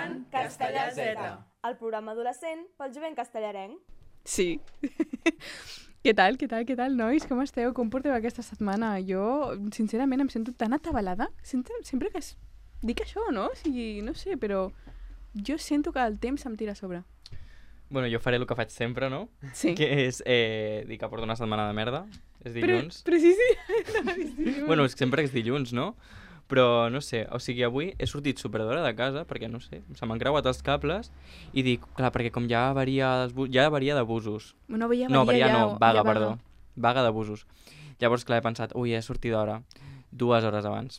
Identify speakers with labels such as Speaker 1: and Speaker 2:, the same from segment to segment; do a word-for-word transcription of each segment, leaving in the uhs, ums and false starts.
Speaker 1: escoltant Castellà Z,
Speaker 2: el programa adolescent pel jovent castellarenc.
Speaker 3: Sí. Què tal, què tal, què tal, nois? Com esteu? Com porteu aquesta setmana? Jo, sincerament, em sento tan atabalada. Sempre, sempre que es... dic això, no? O sigui, no sé, però jo sento que el temps em tira a sobre.
Speaker 4: Bueno, jo faré el que faig sempre, no?
Speaker 3: Sí.
Speaker 4: Que és eh, dir que porto una setmana de merda. És dilluns.
Speaker 3: Però, però sí, sí.
Speaker 4: Bueno, sempre és dilluns, no? Però, no sé, o sigui, avui he sortit superdora de casa perquè, no sé, se m'han creuat els cables i dic, clar, perquè com ja varia, ja varia d'abusos.
Speaker 3: No, varia,
Speaker 4: no, varia
Speaker 3: ja,
Speaker 4: no, vaga,
Speaker 3: ja
Speaker 4: perdó. Vaga d'abusos. Llavors, clar, he pensat, ui, he sortit d'hora, dues hores abans.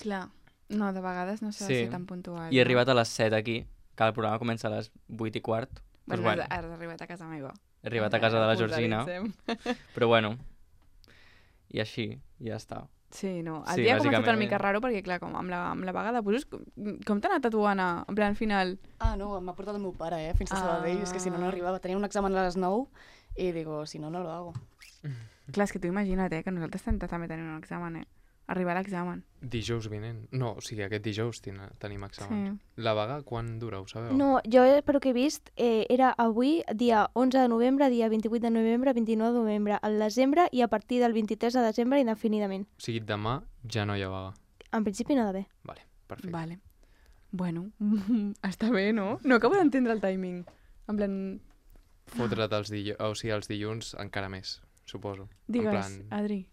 Speaker 3: Clar, no, de vegades no s'ha
Speaker 4: sí.
Speaker 3: de ser tan puntual.
Speaker 4: I he
Speaker 3: no?
Speaker 4: arribat a les set aquí, que el programa comença a les vuit i quart.
Speaker 3: Bueno,
Speaker 4: pues, bueno,
Speaker 3: has arribat a casa meva.
Speaker 4: He arribat a casa de la Georgina, però bueno, i així, ja està.
Speaker 3: Sí, no. El
Speaker 4: sí,
Speaker 3: dia ha començat
Speaker 4: bàsicament...
Speaker 3: una mica raro perquè, clar, com amb la, amb la vaga de busos, com, com t'ha anat a tu, Anna? En plan, final...
Speaker 5: Ah, no, m'ha portat el meu pare, eh, fins a
Speaker 3: Ah.
Speaker 5: Sabadell, és que si no, no arribava. Tenia un examen a les nou i digo, si no, no lo hago.
Speaker 3: Clar, és que tu imagina't, eh, que nosaltres també tenim un examen, eh? Arribar a l'examen.
Speaker 6: Dijous vinent. No, o sigui, aquest dijous ten tenim examen.
Speaker 3: Sí.
Speaker 6: La vaga, quan dura, ho sabeu?
Speaker 2: No, jo, per que he vist, eh, era avui, dia onze de novembre, dia vint-i-vuit de novembre, vint-i-nou de novembre, al desembre i a partir del vint-i-tres de desembre indefinidament.
Speaker 6: O sigui, demà ja no hi ha vaga.
Speaker 2: En principi no ha d'haver.
Speaker 6: Vale, perfecte.
Speaker 3: Vale. Bueno, està bé, no? No acabo d'entendre el timing. En plan...
Speaker 6: Fotre't els, dillo... o sigui, els dilluns encara més, suposo.
Speaker 3: Digues,
Speaker 6: en plan...
Speaker 3: Adri.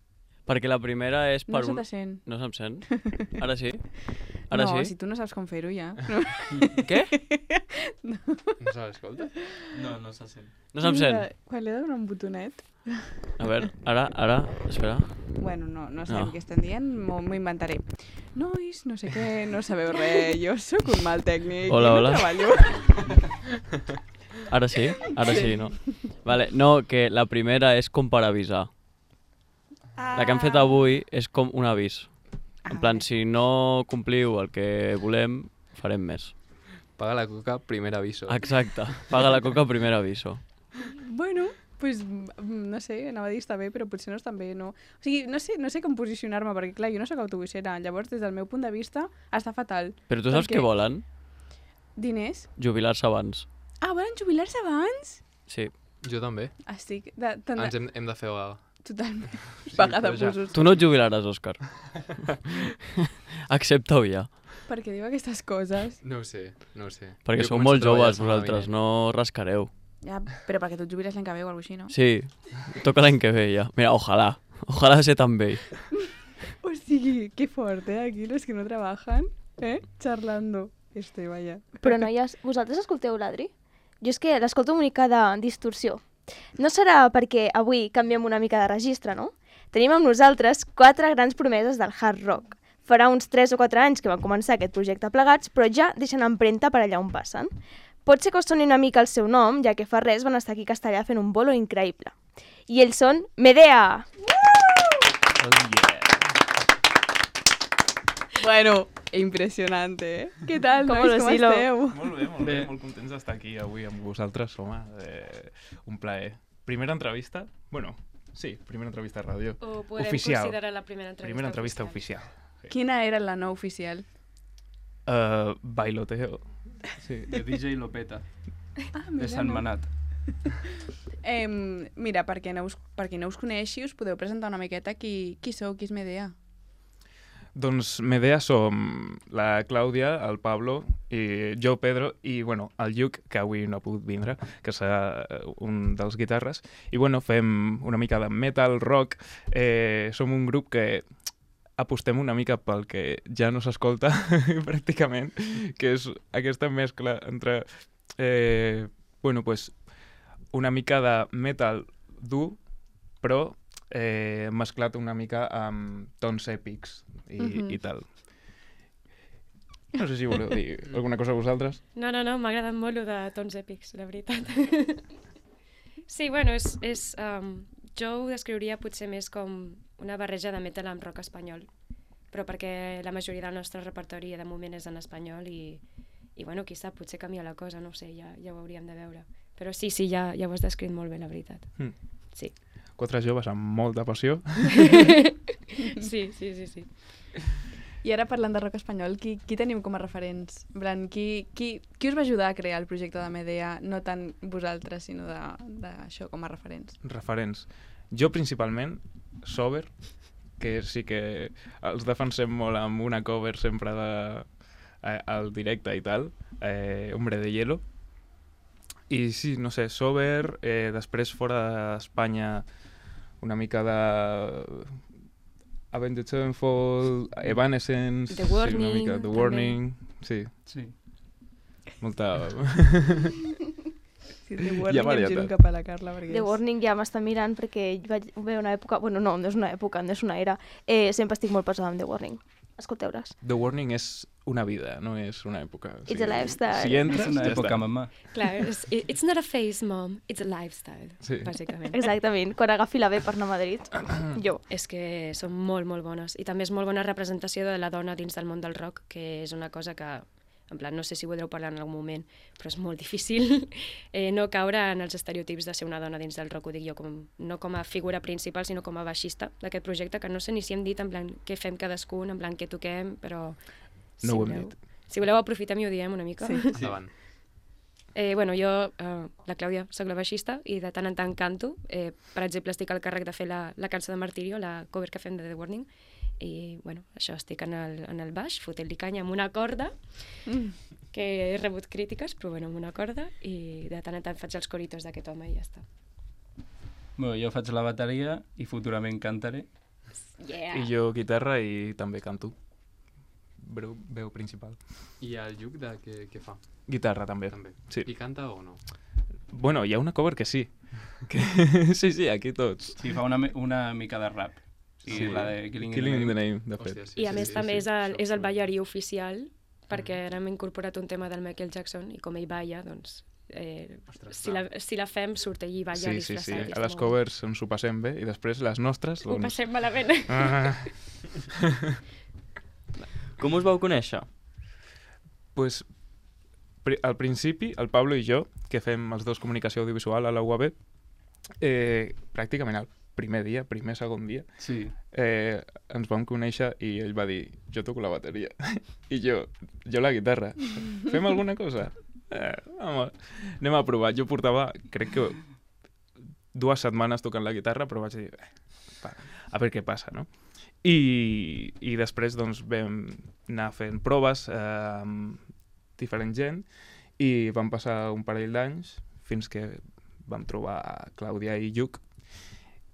Speaker 1: Perquè la primera és per
Speaker 3: No se
Speaker 1: un...
Speaker 3: te sent.
Speaker 1: No se'm sent? Ara sí? Ara
Speaker 3: no,
Speaker 1: sí?
Speaker 3: si tu no saps com fer-ho ja. No.
Speaker 1: Què?
Speaker 3: No.
Speaker 6: No se l'escolta?
Speaker 4: No, no se sent.
Speaker 1: No se'm
Speaker 3: Mira,
Speaker 1: sent?
Speaker 3: Quan li he de donar un botonet...
Speaker 1: A veure, ara, ara, espera.
Speaker 3: Bueno, no, no sabem
Speaker 1: No.
Speaker 3: què estan dient, m'ho m'ho inventaré. Nois, no sé què, no sabeu res, jo sóc un mal tècnic.
Speaker 1: Hola,
Speaker 3: i no
Speaker 1: hola.
Speaker 3: treballo.
Speaker 1: Ara sí? Ara sí, no? Vale, no, que la primera és com per avisar. La que hem fet avui és com un avís. En plan,
Speaker 3: vale.
Speaker 1: si no compliu el que volem, farem més.
Speaker 6: Paga la coca, primer aviso.
Speaker 1: Exacte. Paga la coca, primer aviso.
Speaker 3: Bueno, pues, no sé, anava a dir està bé, però potser no està bé, no? O sigui, no sé, no sé com posicionar-me, perquè clar, jo no sóc autobussera, llavors des del meu punt de vista està fatal.
Speaker 1: Però tu saps
Speaker 3: Perquè-
Speaker 1: què volen?
Speaker 3: Diners?
Speaker 1: Jubilar-se abans.
Speaker 3: Ah, volen jubilar-se abans?
Speaker 1: Sí.
Speaker 6: Jo també.
Speaker 3: Estic... De, tan de...
Speaker 6: Ens hem, hem de fer vaga.
Speaker 3: Totalment.
Speaker 6: Sí,
Speaker 3: Vaga de
Speaker 6: però ja.
Speaker 3: busos.
Speaker 1: Tu no et jubilaràs, Òscar. Accepta-ho ja.
Speaker 3: Per què diu aquestes coses?
Speaker 6: No ho sé, no ho sé.
Speaker 1: Perquè
Speaker 6: Jo
Speaker 1: sou
Speaker 6: començo
Speaker 1: molt
Speaker 6: a treballar
Speaker 1: joves
Speaker 6: la setmana
Speaker 1: vosaltres,
Speaker 6: vinent.
Speaker 1: no rascareu.
Speaker 3: Ja, però perquè tu et jubiles l'any que ve o alguna cosa així, no?
Speaker 1: Sí, toca l'any que ve ja. Mira, ojalà. Ojalà ser tan vell.
Speaker 3: O sigui, qué fort, eh? Aquí los que no trabajan, eh? Charlando. Este, vaya.
Speaker 2: Però noies, vosaltres escolteu l'Adri? Jo és que l'escolto una mica de distorsió. No serà perquè avui canviem una mica de registre, no? Tenim amb nosaltres quatre grans promeses del hard rock. Farà uns tres o quatre anys que van començar aquest projecte plegats, però ja deixen empremta per allà on passen. Pot ser que us soni una mica el seu nom, ja que fa res van estar aquí a Castellà fent un bolo increïble. I ells són Medea!
Speaker 3: Bueno, impressionante, eh? Què tal,
Speaker 2: Com
Speaker 3: nois?
Speaker 2: lo
Speaker 3: Com
Speaker 2: estilo.
Speaker 3: esteu?
Speaker 7: Molt bé, molt bé,
Speaker 6: Bé.
Speaker 7: molt contents d'estar aquí avui amb vosaltres, home, eh, un plaer. Primera entrevista, bueno, sí, primera entrevista a ràdio.
Speaker 8: O podem
Speaker 7: Oficial.
Speaker 8: considerar la primera entrevista
Speaker 7: Primera entrevista oficial. Sí.
Speaker 3: Quina era la no oficial?
Speaker 7: Uh, bailoteo, sí,
Speaker 9: De D J Lopeta,
Speaker 3: Ah,
Speaker 9: de Sant
Speaker 3: no.
Speaker 9: Manat.
Speaker 3: Eh, mira, perquè no us, per qui no us coneixi, us podeu presentar una miqueta qui, qui sou, qui és Medea.
Speaker 7: Doncs Medea som la Clàudia, el Pablo, i jo, Pedro, i bueno, el Lluc, que avui no ha pogut vindre, que serà eh, un dels guitarres. I bueno, fem una mica de metal, rock. Eh, som un grup que apostem una mica pel que ja no s'escolta pràcticament, que és aquesta mescla entre eh, bueno, pues, una mica de metal dur, però eh, mesclat una mica amb tons èpics i,
Speaker 3: Mhm.
Speaker 7: i tal. No sé si voleu dir alguna cosa vosaltres.
Speaker 8: No, no, no, m'ha agradat molt lo de tons èpics, la veritat. Sí, bueno, és, és, um, jo ho descriuria potser més com una barreja de metal amb rock espanyol, però perquè la majoria del nostre repertori de moment és en espanyol i, i bueno, qui sap, potser canvia la cosa, no ho sé, ja, ja ho hauríem de veure. Però sí, sí, ja, ja ho has descrit molt bé, la veritat.
Speaker 7: Mm.
Speaker 8: Sí.
Speaker 7: Quatre joves amb molta passió.
Speaker 8: Sí, sí, sí, sí.
Speaker 3: I ara parlant de rock espanyol, qui, qui tenim com a referents? En plan, qui, qui, qui us va ajudar a crear el projecte de Medea? No tant vosaltres, sinó d'això com a referents.
Speaker 7: Referents. Jo principalment, Sober, que sí que els defensem molt amb una cover sempre de, eh, al directe i tal, eh, Hombre de Hielo. I sí, no sé, Sober, eh, després fora d'Espanya una mica de Avenged Sevenfold, Evanescence,
Speaker 8: The Warning,
Speaker 7: sí, una mica, The
Speaker 8: també.
Speaker 7: Warning, sí,
Speaker 9: Sí.
Speaker 7: molta...
Speaker 3: Sí, The
Speaker 7: Hi ha
Speaker 3: Warning, em
Speaker 7: varietat.
Speaker 3: giro cap a la Carla. Perquè
Speaker 2: The
Speaker 3: és-
Speaker 2: Warning ja m'està mirant perquè vaig haver una època... Bueno, no, no és una època, no és una era. Eh, sempre estic molt pesada amb The Warning. Escolteu-les.
Speaker 7: The Warning és una vida, no és una època. O
Speaker 2: It's a lifestyle.
Speaker 7: Si entres,
Speaker 9: És una
Speaker 7: ja
Speaker 9: època,
Speaker 7: està.
Speaker 9: mamà.
Speaker 8: Clar, és, it's not a phase, mom, it's a lifestyle,
Speaker 7: Sí.
Speaker 8: bàsicament.
Speaker 2: Exactament. Quan agafi la B per anar a Madrid. Jo.
Speaker 8: És que són molt, molt bones. I també és molt bona representació de la dona dins del món del rock, que és una cosa que, en plan, no sé si voldreu parlar en algun moment, però és molt difícil eh, no caure en els estereotips de ser una dona dins del rock, ho dic jo, com, no com a figura principal, sinó com a baixista d'aquest projecte, que no sé ni si hem dit en plan què fem cadascun, en plan què toquem, però... Si
Speaker 7: No ho hem
Speaker 8: voleu,
Speaker 7: dit.
Speaker 8: Si voleu aprofitem i ho diem una mica.
Speaker 3: Sí.
Speaker 6: Endavant.
Speaker 8: Eh, bueno, jo, eh, la Clàudia, soc la baixista i de tant en tant canto. Eh, per exemple, estic al càrrec de fer la, la cançó de Martirio, la cover que fem de The Warning, i bueno, això, estic en el, en el baix, fotent-li canya amb una corda,
Speaker 3: Mm.
Speaker 8: que he rebut crítiques, però bueno, amb una corda, i de tant en tant faig els coritos d'aquest home i ja està.
Speaker 9: Bueno, jo faig la bateria i futurament cantaré.
Speaker 8: Yeah!
Speaker 7: I jo guitarra i també canto. Veu, veu principal.
Speaker 6: I el Lluc de què, què fa?
Speaker 7: Guitarra també.
Speaker 6: També.
Speaker 7: Sí.
Speaker 6: I canta o no?
Speaker 7: Bueno, hi ha una cover que sí. Que... sí, sí, aquí tots.
Speaker 9: Sí, fa una, mi- una mica de rap. Sí,
Speaker 7: Sí.
Speaker 9: la de Killing,
Speaker 7: Killing in the
Speaker 9: Name.
Speaker 7: Name, de fet.
Speaker 6: Hòstia, sí,
Speaker 8: I a
Speaker 6: sí,
Speaker 8: més
Speaker 6: sí,
Speaker 8: també
Speaker 6: sí,
Speaker 8: és el,
Speaker 6: això
Speaker 8: és el
Speaker 6: segur.
Speaker 8: ballarí oficial, perquè ara hem incorporat un tema del Michael Jackson i com ell balla, doncs, eh,
Speaker 6: Ostres,
Speaker 8: si, la, si la fem surt ell i balla
Speaker 7: Sí, sí, sí.
Speaker 8: disfressat. i
Speaker 7: A
Speaker 8: està
Speaker 7: les
Speaker 8: molt
Speaker 7: covers ens ho passem bé i després les nostres,
Speaker 8: bé. Ho
Speaker 7: doncs...
Speaker 8: passem malament.
Speaker 7: Ah,
Speaker 4: Com us vau conèixer?
Speaker 7: pues, pri al principi, el Pablo i jo, que fem els dos comunicació audiovisual a la U A B, eh, pràcticament el primer dia, primer, segon dia,
Speaker 9: Sí.
Speaker 7: eh, ens vam conèixer i ell va dir, jo toco la bateria. I jo, jo la guitarra. Fem alguna cosa? Eh, home, anem a provar. Jo portava, crec que dues setmanes tocant la guitarra, però vaig dir, eh, va, a veure què passa, no? I, i després doncs, vam anar fent proves eh, amb diferent gent i van passar un parell d'anys fins que vam trobar Clàudia i Lluc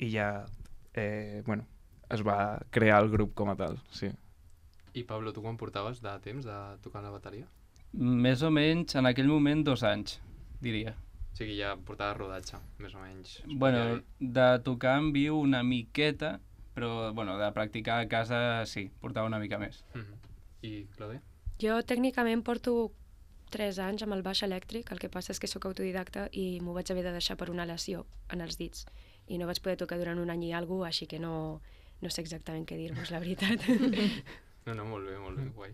Speaker 7: i ja eh, bueno, es va crear el grup com a tal, sí.
Speaker 6: I Pablo, tu quan portaves de temps de tocar la bateria?
Speaker 9: Més o menys, en aquell moment, dos anys, diria.
Speaker 6: O sigui, ja portaves rodatge, més o menys.
Speaker 9: Bueno, de tocar en viu una miqueta, però bueno, de practicar a casa sí, portava una mica més.
Speaker 6: Mm -hmm. I Clàudia?
Speaker 8: Jo tècnicament porto tres anys amb el baix elèctric, el que passa és que sóc autodidacta i m'ho vaig haver de deixar per una lesió en els dits i no vaig poder tocar durant un any i alguna cosa, així que no, no sé exactament què dir-vos, la veritat.
Speaker 6: No, no, molt bé, molt bé, guai.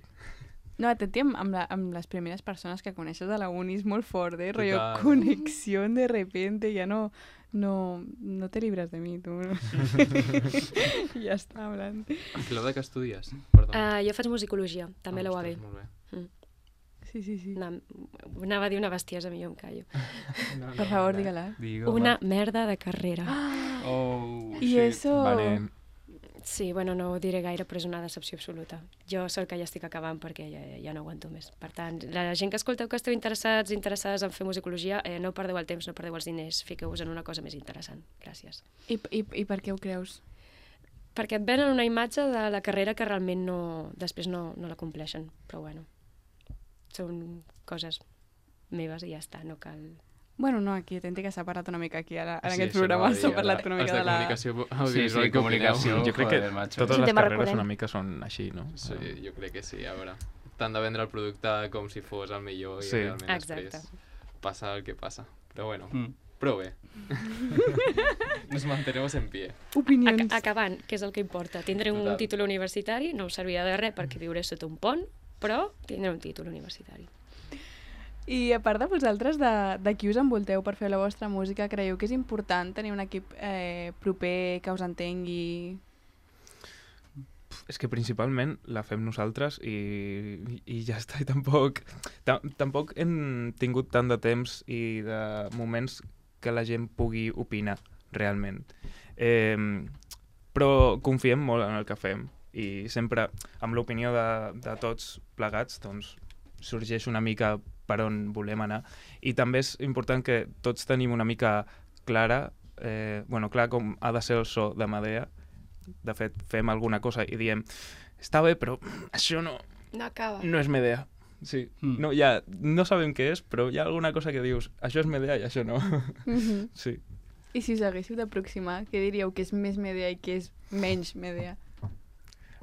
Speaker 3: No, atenti amb, amb, la, amb les primeres persones que coneixes a la uni és molt fort, eh? Rollo
Speaker 6: Total.
Speaker 3: connexió de repente, ja no, no, no te libres de mi, tu. I ja està, en plan.
Speaker 6: Clàudia, què estudies? Perdona.
Speaker 8: Uh, jo faig musicologia, també a la U A B.
Speaker 6: Ostres, molt bé.
Speaker 3: Sí, sí, sí.
Speaker 8: Una, anava a dir una bestiesa, millor em callo.
Speaker 6: No,
Speaker 3: Per favor, digue-la.
Speaker 9: Digue,
Speaker 8: Una merda de carrera.
Speaker 9: Oh,
Speaker 3: I
Speaker 9: shit.
Speaker 3: eso...
Speaker 7: Vale.
Speaker 8: Sí, bueno, no ho diré gaire, però és una decepció absoluta. Jo sóc que ja estic acabant perquè ja, ja no aguanto més. Per tant, la gent que escolteu que esteu interessats, interessades en fer musicologia, eh, no perdeu el temps, no perdeu els diners, fiqueu-vos en una cosa més interessant. Gràcies.
Speaker 3: I, i, I per què ho creus?
Speaker 8: Perquè et venen una imatge de la carrera que realment no, després no, no la compleixen. Però bueno, són coses meves i ja està, no cal...
Speaker 3: Bueno, no, aquí atenti que s'ha parlat una mica aquí, ara, en
Speaker 6: Sí,
Speaker 3: aquest
Speaker 6: això
Speaker 3: programa
Speaker 6: anava a
Speaker 3: s'ha
Speaker 6: dir,
Speaker 3: parlat
Speaker 6: ara,
Speaker 3: una mica
Speaker 6: els
Speaker 3: de la...
Speaker 6: comunicació
Speaker 9: Sí,
Speaker 6: audiovisual,
Speaker 9: sí,
Speaker 6: què opineu?
Speaker 9: comunicació.
Speaker 7: Jo crec que
Speaker 9: joder, macho.
Speaker 7: totes
Speaker 2: És un
Speaker 7: les
Speaker 2: tema
Speaker 7: carreres
Speaker 2: recurrent.
Speaker 7: una mica són així, no?
Speaker 6: Sí, jo crec que sí, a veure. T'han de vendre el producte com si fos el millor i
Speaker 7: Sí.
Speaker 6: realment
Speaker 8: Exacte.
Speaker 6: després passa el que passa. Però bueno,
Speaker 9: Mm.
Speaker 6: prou bé. Nos mantenemos en pie.
Speaker 3: Opinions.
Speaker 8: Ac acabant, que és el que importa. Tindré un
Speaker 6: Total.
Speaker 8: títol universitari, no em servirà de res perquè viuré sota un pont, però tindré un títol universitari.
Speaker 3: I a part de vosaltres, de, de qui us envolteu per fer la vostra música, creieu que és important tenir un equip eh, proper que us entengui?
Speaker 7: és que principalment la fem nosaltres i, i ja està, i tampoc, tampoc hem tingut tant de temps i de moments que la gent pugui opinar realment. Eh, però confiem molt en el que fem i sempre amb l'opinió de, de tots plegats doncs, sorgeix una mica per on volem anar i també és important que tots tenim una mica clara, eh, bueno, clar com ha de ser el so de Medea. De fet, fem alguna cosa i diem està bé, però això no,
Speaker 8: no acaba.
Speaker 7: No és Medea. Sí.
Speaker 9: Mm.
Speaker 7: No, ja, no sabem què és, però hi ha alguna cosa que dius això és Medea i això no.
Speaker 3: Mm-hmm.
Speaker 7: Sí.
Speaker 3: I si us haguéssiu d'aproximar, què diríeu que és més Medea i què és menys Medea?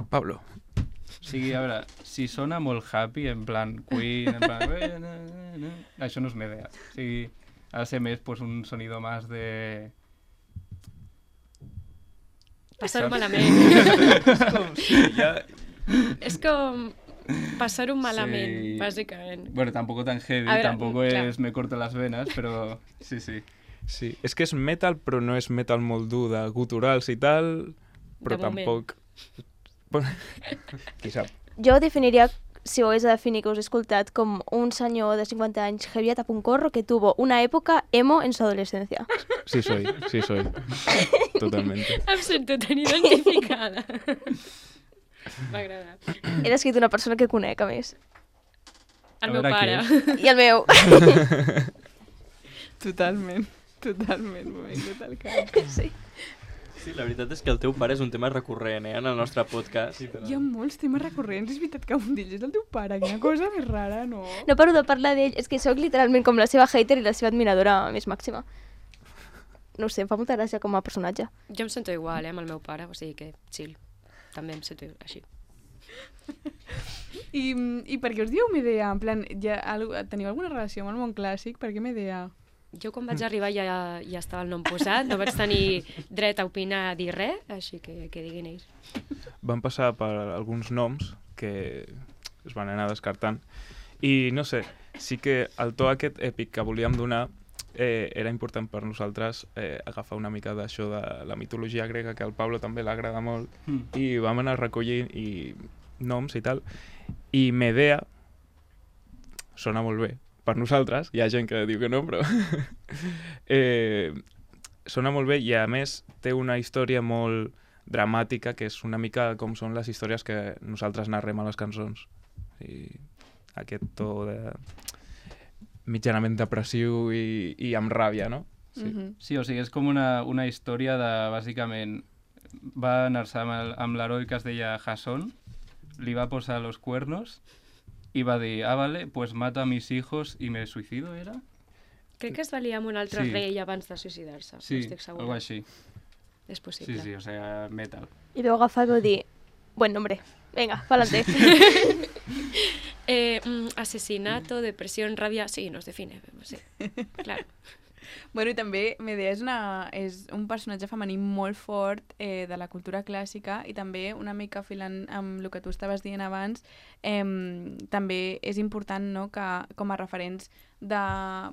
Speaker 7: Pablo.
Speaker 9: O sigui, a veure, si sona molt happy, en plan Queen, en plan... "Eh, na, na, na", això no és Medea. O sigui, ha de ser més pues, un sonido más de...
Speaker 8: Passar-ho malament.
Speaker 7: És com, sí, ja...
Speaker 8: És com passar-ho malament,
Speaker 9: Sí.
Speaker 8: bàsicament.
Speaker 9: Bueno, tampoco tan heavy,
Speaker 8: A veure,
Speaker 9: tampoco
Speaker 8: clar.
Speaker 9: es me corto las venas, però sí, sí.
Speaker 7: Sí, és que és metal, però no és metal molt dur de guturals i tal, però
Speaker 8: De moment.
Speaker 7: tampoc... Qui sap?
Speaker 2: Jo definiria, si ho hagués de definir que us he escoltat, com un senyor de cincuenta anys heavy a tapuncorro que tuvo una època emo en su adolescencia.
Speaker 7: Sí soy, sí soy. Totalmente.
Speaker 8: Em sento tan identificada. M'ha agradat.
Speaker 2: He descrit una persona que conec, a més.
Speaker 8: El
Speaker 9: A
Speaker 8: meu
Speaker 9: veure
Speaker 8: pare.
Speaker 9: qui
Speaker 2: I el meu.
Speaker 3: Totalment, totalment, m'ho he vingut al cap.
Speaker 2: Sí.
Speaker 4: Sí, la veritat és que el teu pare és un tema recurrent, eh, en el nostre podcast.
Speaker 3: Hi ha molts temes recurrents, és veritat que un d'ells és el teu pare, quina cosa més rara, no?
Speaker 2: No paro de parlar d'ell, és que sóc literalment com la seva hater i la seva admiradora més màxima. No ho sé, em fa molta gràcia com a personatge.
Speaker 8: Jo em sento igual, eh, amb el meu pare, o sigui que chill. També em sento així.
Speaker 3: I, I per què us dieu Medea? En plan, ja, teniu alguna relació amb el món clàssic? Per què Medea?
Speaker 8: Jo quan vaig arribar ja, ja estava el nom posat, no vaig tenir dret a opinar, a dir res, així que que diguin ells.
Speaker 7: Van passar per alguns noms que es van anar descartant i no sé, sí que el to aquest èpic que volíem donar eh, era important per nosaltres eh, agafar una mica d'això de la mitologia grega, que al Pablo també l'agrada molt,
Speaker 9: Mm.
Speaker 7: i vam anar recollint i noms i tal, i Medea sona molt bé per nosaltres, hi ha gent que diu que no, però eh, sona molt bé i a més té una història molt dramàtica, que és una mica com són les històries que nosaltres narrem a les cançons. I aquest to de mitjanament depressiu i, i amb ràbia, no?
Speaker 3: Sí. Mm -hmm.
Speaker 9: Sí, o sigui, és com una, una història de, bàsicament, va anar-se amb, el- amb l'heroi que es deia Jasón, li va posar los cuernos i va dir, ah, vale, pues mato a mis hijos y me suicido, ¿era?
Speaker 8: Crec que es va liar amb un altre
Speaker 9: Sí.
Speaker 8: rei abans de suïcidar-se,
Speaker 9: Sí,
Speaker 8: no estic segura.
Speaker 9: algo així.
Speaker 8: És possible.
Speaker 9: Sí, sí, o sea, metal.
Speaker 2: I vau agafar i vau dir, buen nombre, venga, pa'lante.
Speaker 8: Eh, mm, asesinato, depresión, rabia... Sí, nos define, sí, claro.
Speaker 3: Bueno, i també Medea és, una, és un personatge femení molt fort eh, de la cultura clàssica i també una mica filant amb el que tu estaves dient abans, eh, també és important, no?, que com a referents de,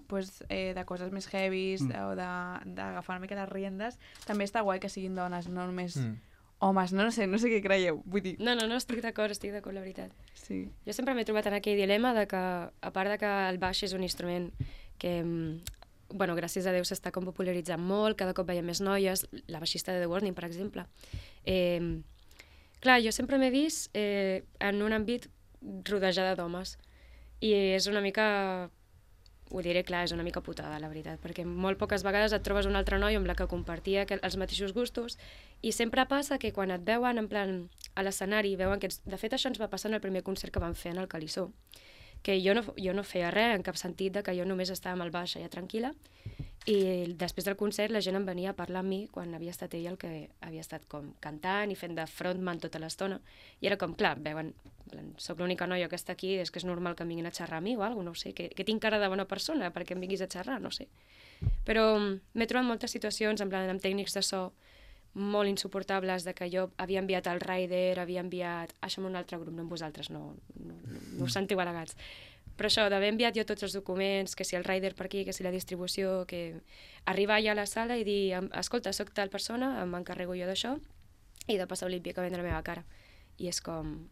Speaker 3: pues, eh, de coses més heavies
Speaker 7: Mm.
Speaker 3: mm. o de- d'agafar una mica les riendes, també està guai que siguin dones, no només
Speaker 7: Mm.
Speaker 3: homes, no, no sé, no sé què creieu, vull dir,
Speaker 8: No, no, no, estic d'acord, estic d'acord, la veritat.
Speaker 3: sí.
Speaker 8: Jo sempre m'he trobat en aquell dilema de que, a part de que el baix és un instrument que, mm, bueno, gràcies a Déu s'està com popularitzant molt, cada cop veiem més noies, la baixista de The Warning, per exemple. Eh, clar, jo sempre m'he vist eh, en un àmbit rodejada d'homes i és una mica, ho diré clar, és una mica putada, la veritat, perquè molt poques vegades et trobes un altre noi amb la que compartia que- els mateixos gustos i sempre passa que quan et veuen en plan a l'escenari, veuen que ets... De fet, això ens va passar en el primer concert que vam fer en el Calissó, que jo no, jo no feia res en cap sentit, de que jo només estava amb el baix allà tranquil·la, i després del concert la gent em venia a parlar amb mi quan havia estat ell el que havia estat com cantant i fent de frontman tota l'estona, i era com, clar, veuen, en plan, soc l'única noia que està aquí, és que és normal que em vinguin a xerrar a mi o alguna cosa, no sé, que, que tinc cara de bona persona perquè em vinguis a xerrar, no sé. Però mm, m'he trobat moltes situacions, en plan, amb tècnics de so molt insuportables, de que jo havia enviat el rider, havia enviat... Això amb un altre grup, no amb vosaltres, no, no, no, no us sentiu al·legats. Però això, d'haver enviat jo tots els documents, que si el rider per aquí, que si la distribució, que arribar ja a la sala i dir, escolta, soc tal persona, m'encarrego jo d'això, i de passar olímpicament a la meva cara. i és com...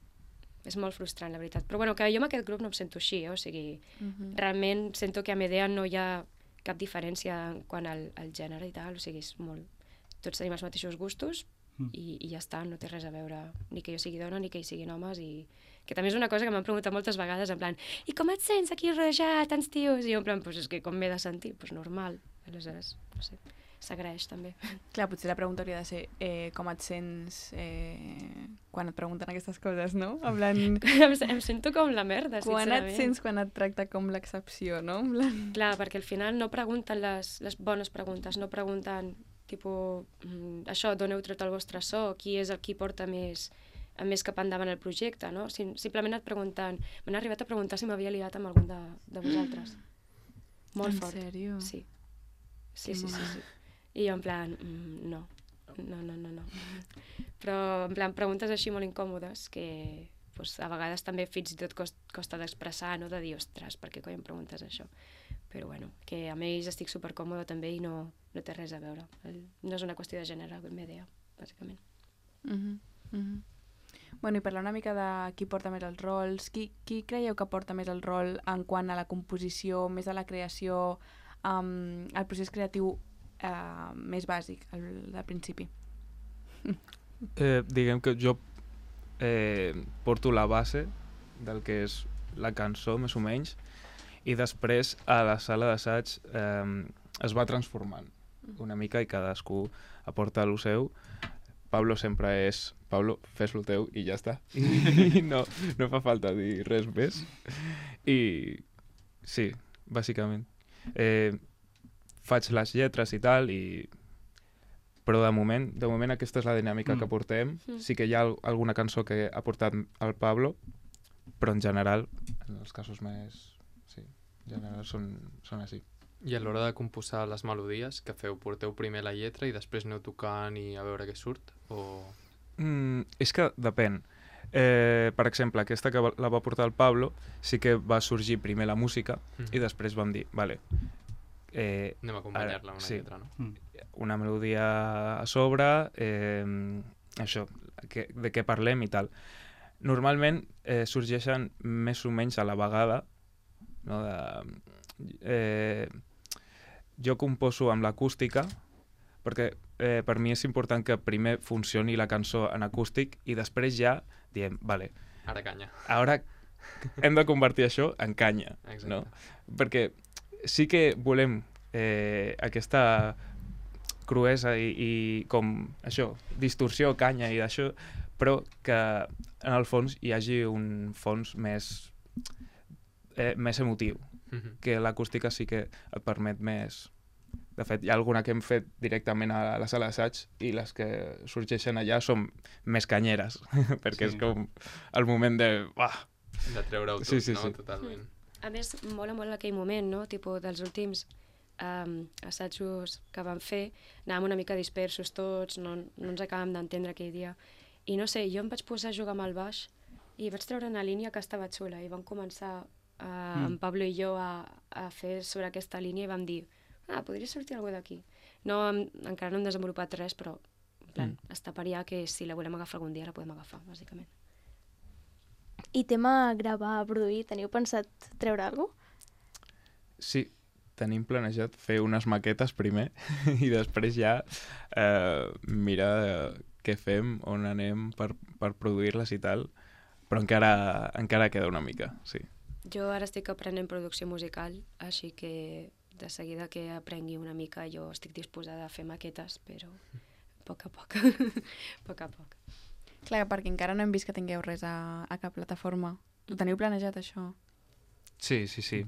Speaker 8: és molt frustrant, la veritat. Però bueno, que jo amb aquest grup no em sento així, eh? O sigui,
Speaker 3: Mhm.
Speaker 8: realment sento que a Medea no hi ha cap diferència en quant al, al gènere i tal, o sigui, és molt... tots tenim els mateixos gustos
Speaker 9: Mm.
Speaker 8: i, i ja està, no té res a veure ni que jo sigui dona ni que ells siguin homes, i que també és una cosa que m'han preguntat moltes vegades, en plan, i com et sents aquí rodejat, tants tios? I jo en plan, pues és que com m'he de sentir? Pues normal. Aleshores, no sé, s'agraeix també.
Speaker 3: Clar, potser la pregunta hauria de ser eh, com et sents eh, quan et pregunten aquestes coses, no? En plan,
Speaker 8: em, em sento com la merda,
Speaker 3: quan et
Speaker 8: sincerament.
Speaker 3: sents quan et tracta com l'excepció, no? En plan...
Speaker 8: Clar, perquè al final no pregunten les, les bones preguntes, no pregunten, tipus, mm, això, d'on heu tret el vostre so, qui és el qui porta més, més cap endavant el projecte, no? Sim, simplement et pregunten, m'han arribat a preguntar si m'havia liat amb algun de, de vosaltres. Molt
Speaker 3: En
Speaker 8: fort.
Speaker 3: sèrio?
Speaker 8: Sí. Sí,
Speaker 3: Que
Speaker 8: sí, sí,
Speaker 3: mono.
Speaker 8: sí. I jo en plan, mm, no. No, no, no, no. Però en plan, preguntes així molt incòmodes que pues, a vegades també fins i tot cost, costa d'expressar, no? De dir, ostres, per què coi em preguntes això? Però bueno, que amb ells estic supercòmoda també i no, no té res a veure. El, no és una qüestió de gènere, com m'idea, bàsicament.
Speaker 3: Mhm, mhm. Bueno, i parlar una mica de qui porta més els rols, qui, qui creieu que porta més el rol en quant a la composició, més a la creació, um, el procés creatiu uh, més bàsic, el de principi?
Speaker 7: Eh, diguem que jo eh, porto la base del que és la cançó, més o menys, i després a la sala d'assaig eh, es va transformant una mica i cadascú aporta el seu. Pablo sempre és Pablo, fes el teu i ja està. I no, no fa falta dir res més. I sí, bàsicament. Eh, faig les lletres i tal, i però de moment, de moment aquesta és la dinàmica
Speaker 9: Mm.
Speaker 7: que portem.
Speaker 8: Mm.
Speaker 7: Sí que hi ha al- alguna cançó que ha portat el Pablo, però en general, en els casos més... Sí, en general són, són així.
Speaker 6: I a l'hora de composar les melodies, que feu? Porteu primer la lletra i després aneu tocant i a veure què surt? O...
Speaker 7: Mm, és que depèn. Eh, per exemple, aquesta que va- la va portar el Pablo, sí que va sorgir primer la música
Speaker 6: Mm.
Speaker 7: i després vam dir, vale, eh,
Speaker 6: Anem a acompanyar-la amb una
Speaker 7: sí.
Speaker 6: lletra, no?
Speaker 9: Mm.
Speaker 7: una melodia a sobre, eh, això, que, de què parlem i tal. Normalment eh, sorgeixen més o menys a la vegada, no? De, eh, jo composo amb l'acústica, perquè eh, per mi és important que primer funcioni la cançó en acústic i després ja diem, vale,
Speaker 6: Ara canya.
Speaker 7: ara hem de convertir això en canya,
Speaker 6: Exacte.
Speaker 7: no? Perquè sí que volem eh, aquesta cruesa i, i com això, distorsió, canya i d'això, però que en el fons hi hagi un fons més, eh, més emotiu,
Speaker 6: Mhm.
Speaker 7: que l'acústica sí que et permet més. De fet, hi ha alguna que hem fet directament a la sala d'assaig i les que sorgeixen allà són més canyeres, perquè
Speaker 9: Sí.
Speaker 7: és com el moment de... Uah,
Speaker 6: De treure-ho tot,
Speaker 7: Sí, sí,
Speaker 6: no?
Speaker 7: sí.
Speaker 6: Totalment.
Speaker 8: A més, mola molt aquell moment, no? Tipo, dels últims um, assajos que vam fer, anàvem una mica dispersos tots, no, no ens acabàvem d'entendre aquell dia. I no sé, jo em vaig posar a jugar amb el baix i vaig treure una línia que estava xula i vam començar, uh, mm. en Pablo i jo, a, a fer sobre aquesta línia i vam dir, ah, podria sortir alguna d'aquí. No, hem, encara no hem desenvolupat res, però en plan, mm. està per allà que si la volem agafar algun dia la podem agafar, bàsicament.
Speaker 2: I tema gravar, produir, teniu pensat treure alguna cosa?
Speaker 7: sí, tenim planejat fer unes maquetes primer i després ja eh, mirar eh, què fem, on anem per, per produir-les i tal, però encara, encara queda una mica, sí.
Speaker 8: Jo ara estic aprenent producció musical, així que de seguida que aprengui una mica jo estic disposada a fer maquetes, però a poc a poc, a poc a poc.
Speaker 3: Clar, perquè encara no hem vist que tingueu res a, a cap plataforma. Ho teniu planejat, això?
Speaker 7: Sí, sí, sí.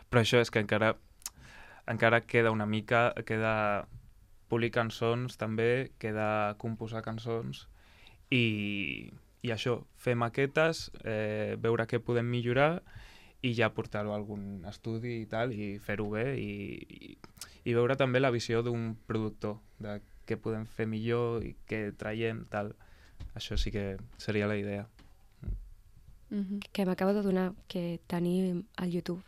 Speaker 7: Però això és que encara encara queda una mica, queda polir cançons també, queda composar cançons i, i això, fer maquetes, eh, veure què podem millorar i ja portar-ho a algun estudi i tal, i fer-ho bé i, i, i veure també la visió d'un productor, de què podem fer millor i què traiem, tal. Això sí que seria la idea.
Speaker 3: Mhm.
Speaker 8: Que m'acabo de donar que tenim al YouTube,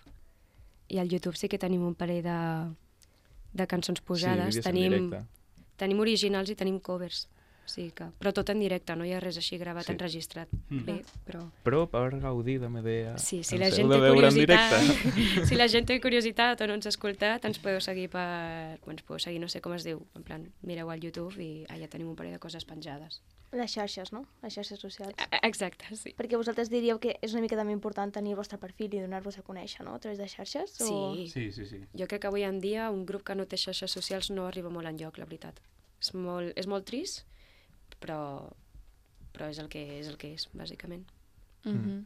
Speaker 8: i al YouTube sí que tenim un parell de, de cançons posades,
Speaker 7: vídeos en
Speaker 8: tenim,
Speaker 7: directe.
Speaker 8: tenim originals i tenim covers. O O sigui que... Però tot en directe, no hi ha res així gravat,
Speaker 7: Sí.
Speaker 8: enregistrat.
Speaker 9: Mm.
Speaker 8: Bé, però...
Speaker 7: Però per gaudir de Medea...
Speaker 8: Sí, si
Speaker 7: ens
Speaker 8: la
Speaker 7: heu
Speaker 8: gent
Speaker 7: de
Speaker 8: té
Speaker 7: veure en
Speaker 8: curiositat,
Speaker 7: directe.
Speaker 8: si la gent té curiositat o no ens ha escoltat, ens podeu seguir per... Bueno, ens podeu seguir, no sé com es diu, en plan, mireu al YouTube i allà tenim un parell de coses penjades.
Speaker 2: Les xarxes, no? Les xarxes socials.
Speaker 8: Exacte, sí.
Speaker 2: Perquè vosaltres diríeu que és una mica també important tenir el vostre perfil i donar-vos a conèixer, no? A través de xarxes? O...
Speaker 8: Sí.
Speaker 9: Sí, sí, sí.
Speaker 8: Jo crec que avui en dia un grup que no té xarxes socials no arriba molt enlloc, la veritat. És molt, és molt trist, però, però és el que és, el que és, bàsicament.
Speaker 3: Mm -hmm.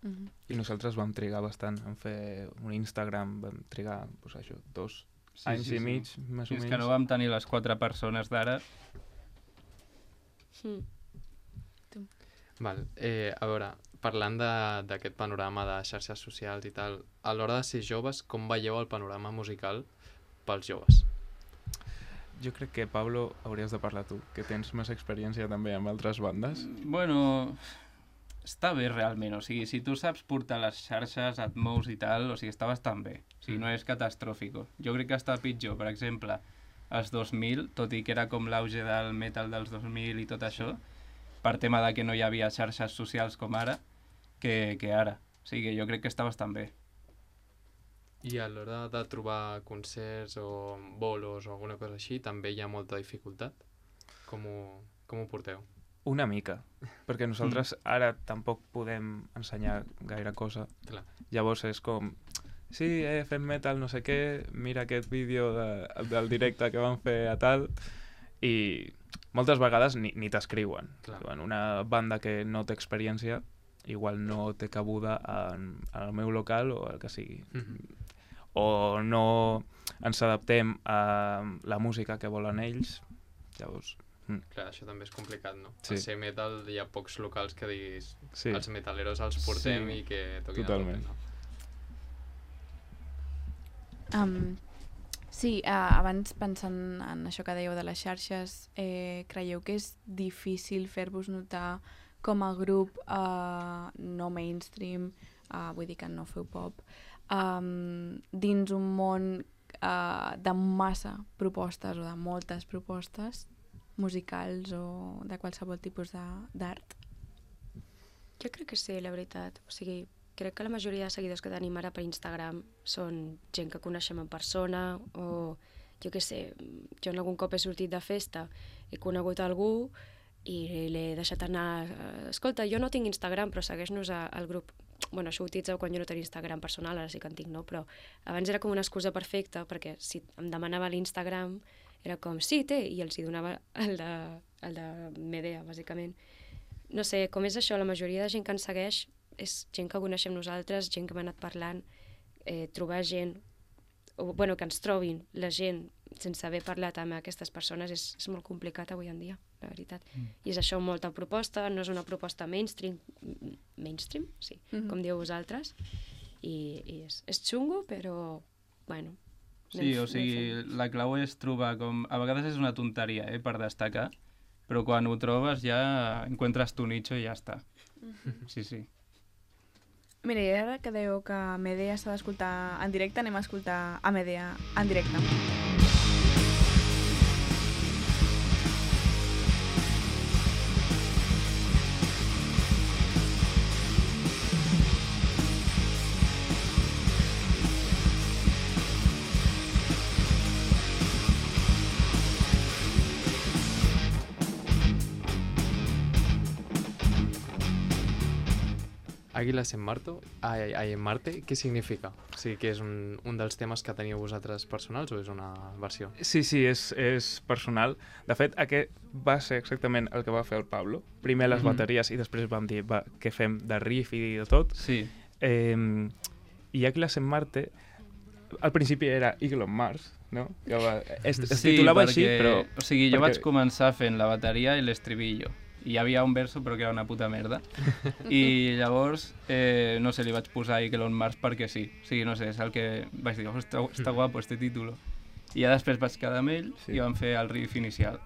Speaker 3: Mm -hmm.
Speaker 7: I nosaltres vam trigar bastant en fer un Instagram, vam trigar, doncs això, dos
Speaker 9: Sí,
Speaker 7: anys
Speaker 9: sí,
Speaker 7: i
Speaker 9: sí.
Speaker 7: mig, més o
Speaker 9: Fins
Speaker 7: menys.
Speaker 9: que no vam tenir les quatre persones d'ara.
Speaker 8: Mm.
Speaker 6: Val. Eh, a veure, parlant de- d'aquest panorama de xarxes socials i tal, a l'hora de ser joves, com veieu el panorama musical pels joves?
Speaker 7: Jo crec que, Pablo, hauries de parlar tu, que tens més experiència també amb altres bandes.
Speaker 9: Bueno, està bé realment, o sigui, si tu saps portar les xarxes, et mous i tal, o sigui, està bastant bé, o sigui, no és catastròfico. Jo crec que està pitjor, per exemple, als dos mil, tot i que era com l'auge del metal dels dos mil i tot això, per tema de que no hi havia xarxes socials com ara, que, que ara. O sigui, jo crec que està bastant bé.
Speaker 6: I a l'hora de trobar concerts o bolos o alguna cosa així, també hi ha molta dificultat? Com ho, com ho porteu?
Speaker 7: Una mica, perquè nosaltres ara tampoc podem ensenyar gaire cosa.
Speaker 6: Clar.
Speaker 7: Llavors és com, sí, eh, fem metal, no sé què, mira aquest vídeo de, del directe que vam fer a tal, i moltes vegades ni, ni t'escriuen.
Speaker 6: Clar.
Speaker 7: Diuen, una banda que no té experiència igual no té cabuda en, en el meu local o el que sigui.
Speaker 6: Mhm.
Speaker 7: O no ens adaptem a la música que volen ells, llavors... Mm.
Speaker 6: Clar, això també és complicat, no?
Speaker 7: Sí.
Speaker 6: Al ser metal hi ha pocs locals que diguis
Speaker 7: Sí.
Speaker 6: els metaleros els portem
Speaker 7: Sí,
Speaker 6: i que toquin
Speaker 7: totalment.
Speaker 6: a tope,
Speaker 3: Um, sí, uh, abans pensant en això que dèieu de les xarxes, eh, creieu que és difícil fer-vos notar com a grup uh, no mainstream, uh, vull dir que no feu pop, um, dins un món uh, de massa propostes o de moltes propostes musicals o de qualsevol tipus de- d'art?
Speaker 8: Jo crec que sí, la veritat. O sigui, crec que la majoria de seguidors que tenim ara per Instagram són gent que coneixem en persona o, jo què sé, jo en algun cop he sortit de festa, he conegut algú i l'he deixat anar. eh, Escolta, jo no tinc Instagram, però segueix-nos a- al grup. Bueno, això ho utilitzeu quan jo no tenia Instagram personal, ara sí que en tinc, no? Però abans era com una excusa perfecta, perquè si em demanava l'Instagram era com, sí, té, i els hi donava el de, el de Medea, bàsicament. No sé, com és això, la majoria de gent que ens segueix és gent que coneixem nosaltres, gent que m'ha anat parlant, eh, trobar gent, o, bueno, que ens trobin la gent sense haver parlat amb aquestes persones és, és molt complicat avui en dia, la veritat. Mm. I és això, molta proposta, no és una proposta mainstream, m- mainstream, sí,
Speaker 3: Mhm.
Speaker 8: com dieu vosaltres, i, i és, és xungo, però, bueno...
Speaker 9: Sí,
Speaker 8: anem-
Speaker 9: o
Speaker 8: anem
Speaker 9: sigui,
Speaker 8: fent.
Speaker 9: la clau és trobar com... A vegades és una tonteria, eh, per destacar, però quan ho trobes ja encuentres tu nicho i ja està. Sí, sí.
Speaker 3: Mira, i ara que dèieu que Medea s'ha d'escoltar en directe, anem a escoltar a Medea en directe.
Speaker 6: Àguiles en Marto, ai, ai, en Marte, què significa? O sigui, que és un, un dels temes que teniu vosaltres personals o és una versió?
Speaker 7: Sí, sí, és, és personal. De fet, aquest va ser exactament el que va fer el Pablo. Primer les
Speaker 9: Mhm.
Speaker 7: bateries i després vam dir, va, què fem de riff i de tot.
Speaker 9: Sí.
Speaker 7: Eh, I Àguiles en Marte, al principi era Eagle on Mars, no? Que va, es, es
Speaker 9: Sí,
Speaker 7: titulava
Speaker 9: perquè,
Speaker 7: així, però...
Speaker 9: O sigui, jo
Speaker 7: perquè-
Speaker 9: vaig començar fent la bateria i l'estribillo. I hi havia un verso, però que era una puta merda. I llavors, eh, no sé, li vaig posar Eagle on Mars perquè sí. O sigui, no sé, és el que vaig dir, oh, està, està guapo este título. I ja després vaig quedar amb ell
Speaker 7: Sí.
Speaker 9: i vam fer el riff inicial.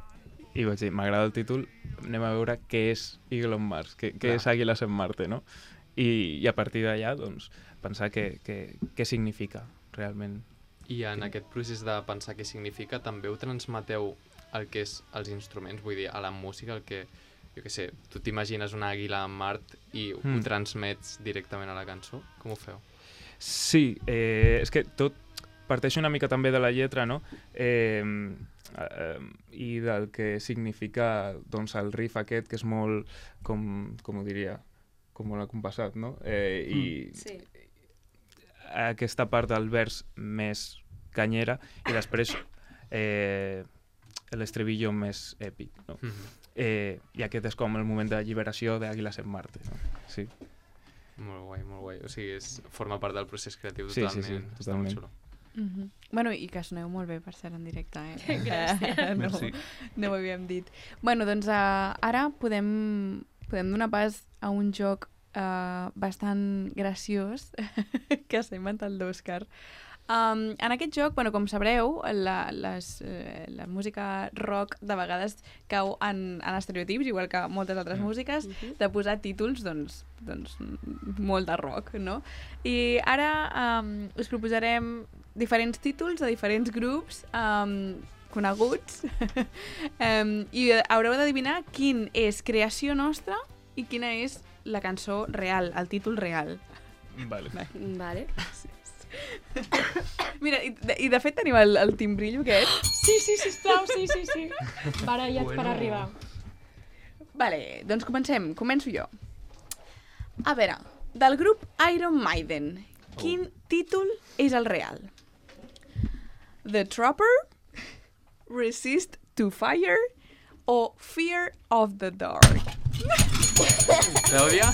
Speaker 7: I vaig dir, m'agrada el títol, anem a veure què és Eagle on Mars, què, què
Speaker 6: Clar.
Speaker 7: és Àguiles en Marte, no? I, i a partir d'allà, doncs, pensar què, què, què significa realment.
Speaker 6: I en aquest procés de pensar què significa també ho transmeteu el que és els instruments, vull dir, a la música, el que, jo què sé, tu t'imagines una àguila en Mart i mm. ho transmets directament a la cançó? Com ho feu?
Speaker 7: Sí, eh, és que tot parteix una mica també de la lletra, no? Eh, eh, i del que significa doncs, el riff aquest, que és molt, com, com ho diria, com molt acompassat, no? Eh, I
Speaker 8: mm. sí.
Speaker 7: aquesta part del vers més canyera i després eh, l'estribillo més èpic, no? Mm-hmm. eh, I aquest és com el moment de lliberació d'Àguiles en Marte, no? Sí.
Speaker 6: Molt guai, molt guai. O sigui, és, forma part del procés creatiu
Speaker 7: sí,
Speaker 6: totalment.
Speaker 7: Sí, sí, totalment.
Speaker 3: Mm -hmm. Bueno, i que soneu molt bé, per ser en directe, eh?
Speaker 8: Gràcies.
Speaker 3: no, no ho havíem dit. Bueno, doncs uh, ara podem, podem donar pas a un joc uh, bastant graciós que s'ha inventat l'Òscar. Um, en aquest joc, bueno, com sabreu, la, les, eh, la música rock de vegades cau en, en estereotips, igual que moltes altres mm. músiques, mm-hmm. de posar títols, doncs, doncs, molt de rock, no? I ara um, us proposarem diferents títols de diferents grups um, coneguts um, i haureu d'adivinar quin és creació nostra i quina és la cançó real, el títol real.
Speaker 7: Vale.
Speaker 8: Vale.
Speaker 3: Sí. Mira, i de, i de fet tenim el, el timbrillo aquest.
Speaker 8: Sí, sí, sisplau, sí, sí, sí. Barallats bueno. per arribar.
Speaker 3: Vale, doncs comencem. Començo jo. A veure, del grup Iron Maiden, quin oh. títol és el real? The Trapper, Resist to Fire o Fear of the Dark?
Speaker 6: Clàudia?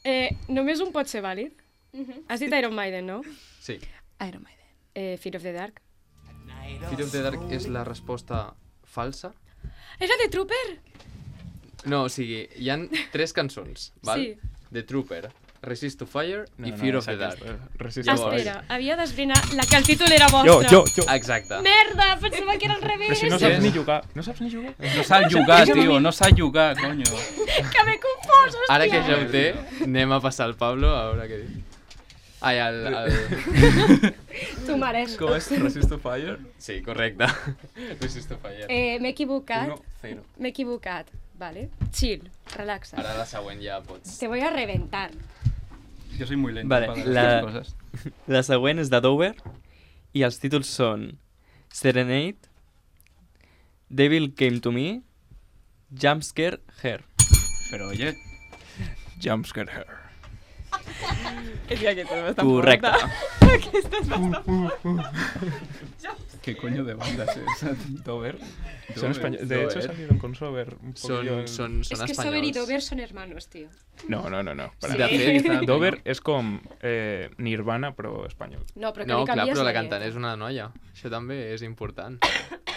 Speaker 8: Eh, només un pot ser vàlid. Uh-huh. Has dit Iron Maiden, no?
Speaker 6: Sí.
Speaker 3: Iron Maiden.
Speaker 8: Eh, Fear of the Dark.
Speaker 6: Fear of the Dark és la resposta falsa?
Speaker 8: És la de Trooper?
Speaker 6: No, o sigui, hi ha tres cançons, val?
Speaker 8: Sí.
Speaker 6: The Trooper, Resist to Fire
Speaker 7: no,
Speaker 6: i
Speaker 7: no,
Speaker 6: Fear
Speaker 7: no,
Speaker 6: of the Dark.
Speaker 7: Resist
Speaker 8: to Fire. Espera, havia d'esbrinar la que el títol era vostre.
Speaker 7: Jo, jo, jo.
Speaker 6: Exacte.
Speaker 8: Merda, pensava que era al revés.
Speaker 7: Però si no saps ni jugar. No saps ni jugar?
Speaker 9: No sap jugar, tio, no sap jugar, coño.
Speaker 8: Que m'he confós, hòstia.
Speaker 6: Ara que ja ho té, anem a passar al Pablo a veure què diu. Ai, el... el...
Speaker 8: Tu mereixes.
Speaker 6: Com és? Resist to Fire? Sí, correcte. Resist to Fire.
Speaker 8: Eh, m'he equivocat.
Speaker 6: Uno, cero.
Speaker 8: M'he equivocat, vale? Chill, relaxa.
Speaker 6: Ara la següent ja pots...
Speaker 8: Te voy a reventar.
Speaker 9: Jo soy muy lento
Speaker 4: vale,
Speaker 9: para
Speaker 4: la...
Speaker 9: les coses.
Speaker 4: La següent és de Dover i els títols són Serenade, Devil Came to Me, Jumpscare Her.
Speaker 9: Però oye...
Speaker 7: Jumpscare Her.
Speaker 3: És que aquesta és bastant
Speaker 4: correcte.
Speaker 3: forta. Aquesta és bastant forta.
Speaker 9: ¿Qué coño de banda es esa? ¿Dover?
Speaker 7: Son españoles. De hecho, salieron con Sober. Un
Speaker 6: son,
Speaker 7: en...
Speaker 6: son, son
Speaker 8: es que
Speaker 6: españoles.
Speaker 8: Sober y Dover son hermanos, tío.
Speaker 7: No, no, no. no. Para
Speaker 6: sí. De fet,
Speaker 7: Dover és com eh, Nirvana, però espanyol.
Speaker 8: No, però que
Speaker 6: no,
Speaker 8: li
Speaker 6: clar,
Speaker 8: canvies
Speaker 6: però la
Speaker 8: la
Speaker 6: cantant és una noia. Això també és important.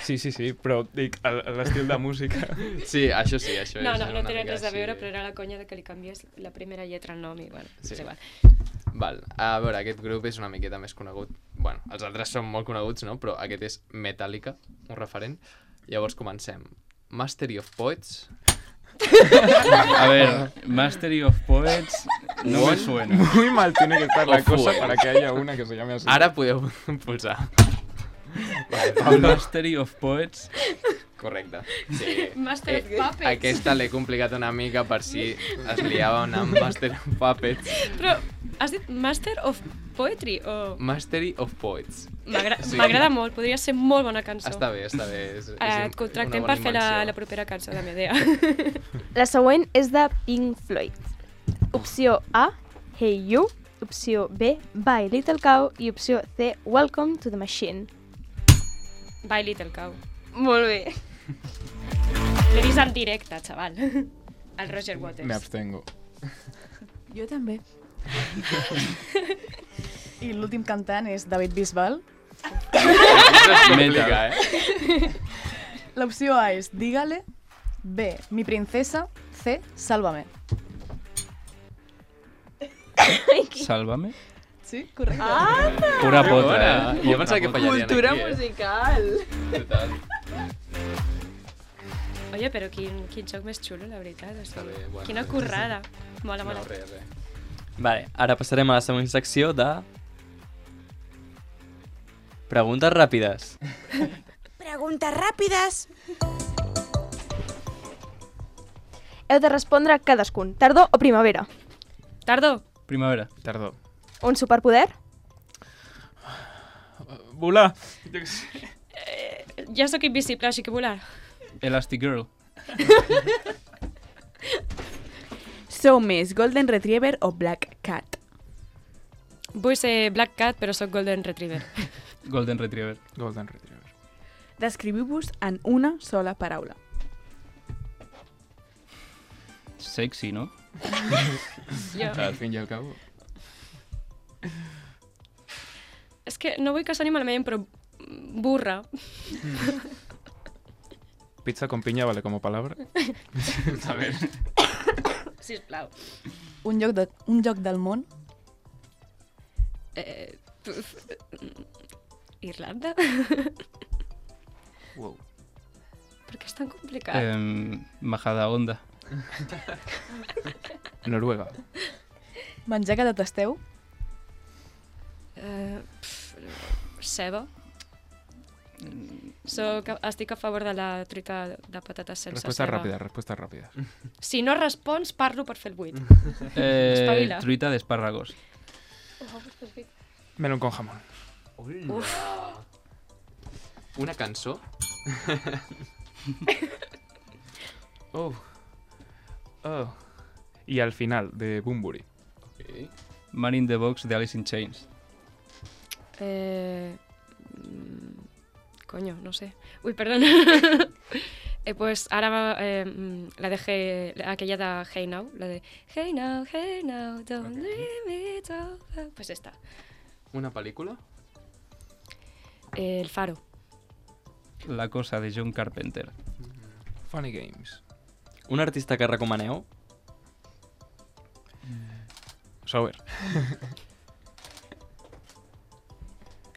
Speaker 7: Sí, sí, sí, però dic, l'estil de música...
Speaker 6: Sí, això sí, això
Speaker 8: no,
Speaker 6: és
Speaker 8: no, no
Speaker 6: una
Speaker 8: té
Speaker 6: mica
Speaker 8: res a veure,
Speaker 6: així.
Speaker 8: però era la conya de que li canvies la primera lletra al nom i, bueno,
Speaker 6: sí.
Speaker 8: és igual.
Speaker 6: Val, a veure, aquest grup és una miqueta més conegut. Bueno, els altres són molt coneguts, no? Però aquest és Metallica, un referent. Llavors comencem. Mastery of Poets.
Speaker 9: A ver, Mastery of Poets no me suena.
Speaker 7: Muy mal tiene que estar la
Speaker 6: Of
Speaker 7: cosa
Speaker 6: Poets.
Speaker 7: para que haya una que se llame así.
Speaker 6: Ara podeu pulsar.
Speaker 9: Vale, Mastery of Poets.
Speaker 6: Correcte. Sí.
Speaker 8: Master of
Speaker 6: Eh,
Speaker 8: Puppets.
Speaker 6: Aquesta l'he complicat una mica per si es liava una Master of Puppets.
Speaker 8: Però has dit Master of Poetry o...
Speaker 6: Mastery of Poets.
Speaker 8: M'agrada sí. molt, podria ser molt bona cançó.
Speaker 6: Està bé, està bé. És,
Speaker 8: Ara
Speaker 6: és
Speaker 8: et contractem per fer la, la propera cançó de Medea.
Speaker 2: La següent és de Pink Floyd. Opció A, Hey You. Opció B, Bye Little Cow. I opció C, Welcome to the Machine.
Speaker 8: Bye Little Cow.
Speaker 2: Molt bé.
Speaker 8: L'he vist en directe, xaval. El Roger Waters.
Speaker 7: Me abstengo.
Speaker 5: Jo també. I l'últim cantant és David Bisbal.
Speaker 6: Complica, eh?
Speaker 5: L'opció A és Dígale, B, Mi Princesa, C, Sálvame.
Speaker 9: Sálvame.
Speaker 5: Sí, correcte.
Speaker 3: Ah!
Speaker 9: Pura potra, eh?
Speaker 6: Jo pensava que fallarien
Speaker 3: Cultura
Speaker 6: aquí, eh?
Speaker 3: musical.
Speaker 6: Total.
Speaker 8: Oye, però quin, quin joc més xulo, la veritat. O
Speaker 6: Està
Speaker 8: sigui,
Speaker 6: bé, bueno.
Speaker 8: quina currada. Mola, mola.
Speaker 6: No, res, res.
Speaker 4: Vale, ara passarem a la següent secció de... Preguntes ràpides.
Speaker 10: Preguntes ràpides.
Speaker 2: Heu de respondre cadascun, tardor o primavera.
Speaker 8: Tardor.
Speaker 9: Primavera.
Speaker 7: Tardor.
Speaker 2: Un superpoder?
Speaker 7: Volar. Jo què sé.
Speaker 8: Eh, ja sóc invisible, així que volar.
Speaker 9: Elastic Girl.
Speaker 3: Sou més Golden Retriever o Black Cat?
Speaker 8: Vull ser Black Cat, però sóc Golden Retriever.
Speaker 9: Golden Retriever.
Speaker 7: Golden Retriever.
Speaker 3: Descriviu-vos en una sola paraula.
Speaker 9: Sexy, no?
Speaker 8: Jo.
Speaker 7: Al fin i al cabo.
Speaker 8: És que no vull que soni malament, però burra.
Speaker 7: Pizza con piña vale como palabra.
Speaker 9: A ver.
Speaker 8: Sisplau.
Speaker 5: Un joc, de, un joc del món?
Speaker 8: Eh, puf, Irlanda?
Speaker 7: Wow.
Speaker 8: Per què és tan complicat?
Speaker 9: Eh, Majadahonda.
Speaker 7: Noruega.
Speaker 5: Menjar que detesteu?
Speaker 8: Eh, pf, ceba. Soc, estic a favor de la truita de patates sense
Speaker 7: Respuestas
Speaker 8: ceba.
Speaker 7: rápidas, respuestas rápidas.
Speaker 8: Si no respons, parlo per fer el buit.
Speaker 9: Eh,
Speaker 8: Espavila.
Speaker 9: truita d'espàrragos.
Speaker 7: Melón con jamón.
Speaker 8: Uf.
Speaker 6: Una cançó?
Speaker 7: Oh. Oh. Y al final, de Bunbury.
Speaker 6: Okay.
Speaker 9: Man in the Box de Alice in Chains.
Speaker 8: Eh... mm, Coño, no sé. Uy, perdón. eh, pues ahora eh, mm, la dejé, aquella de Hey Now, la de Hey Now, Hey Now, don't leave me so far. Pues esta.
Speaker 6: Una pel·lícula?
Speaker 8: Eh, El Faro.
Speaker 9: La cosa de John Carpenter.
Speaker 7: Funny Games.
Speaker 4: Un artista que recomaneu?
Speaker 7: Sober.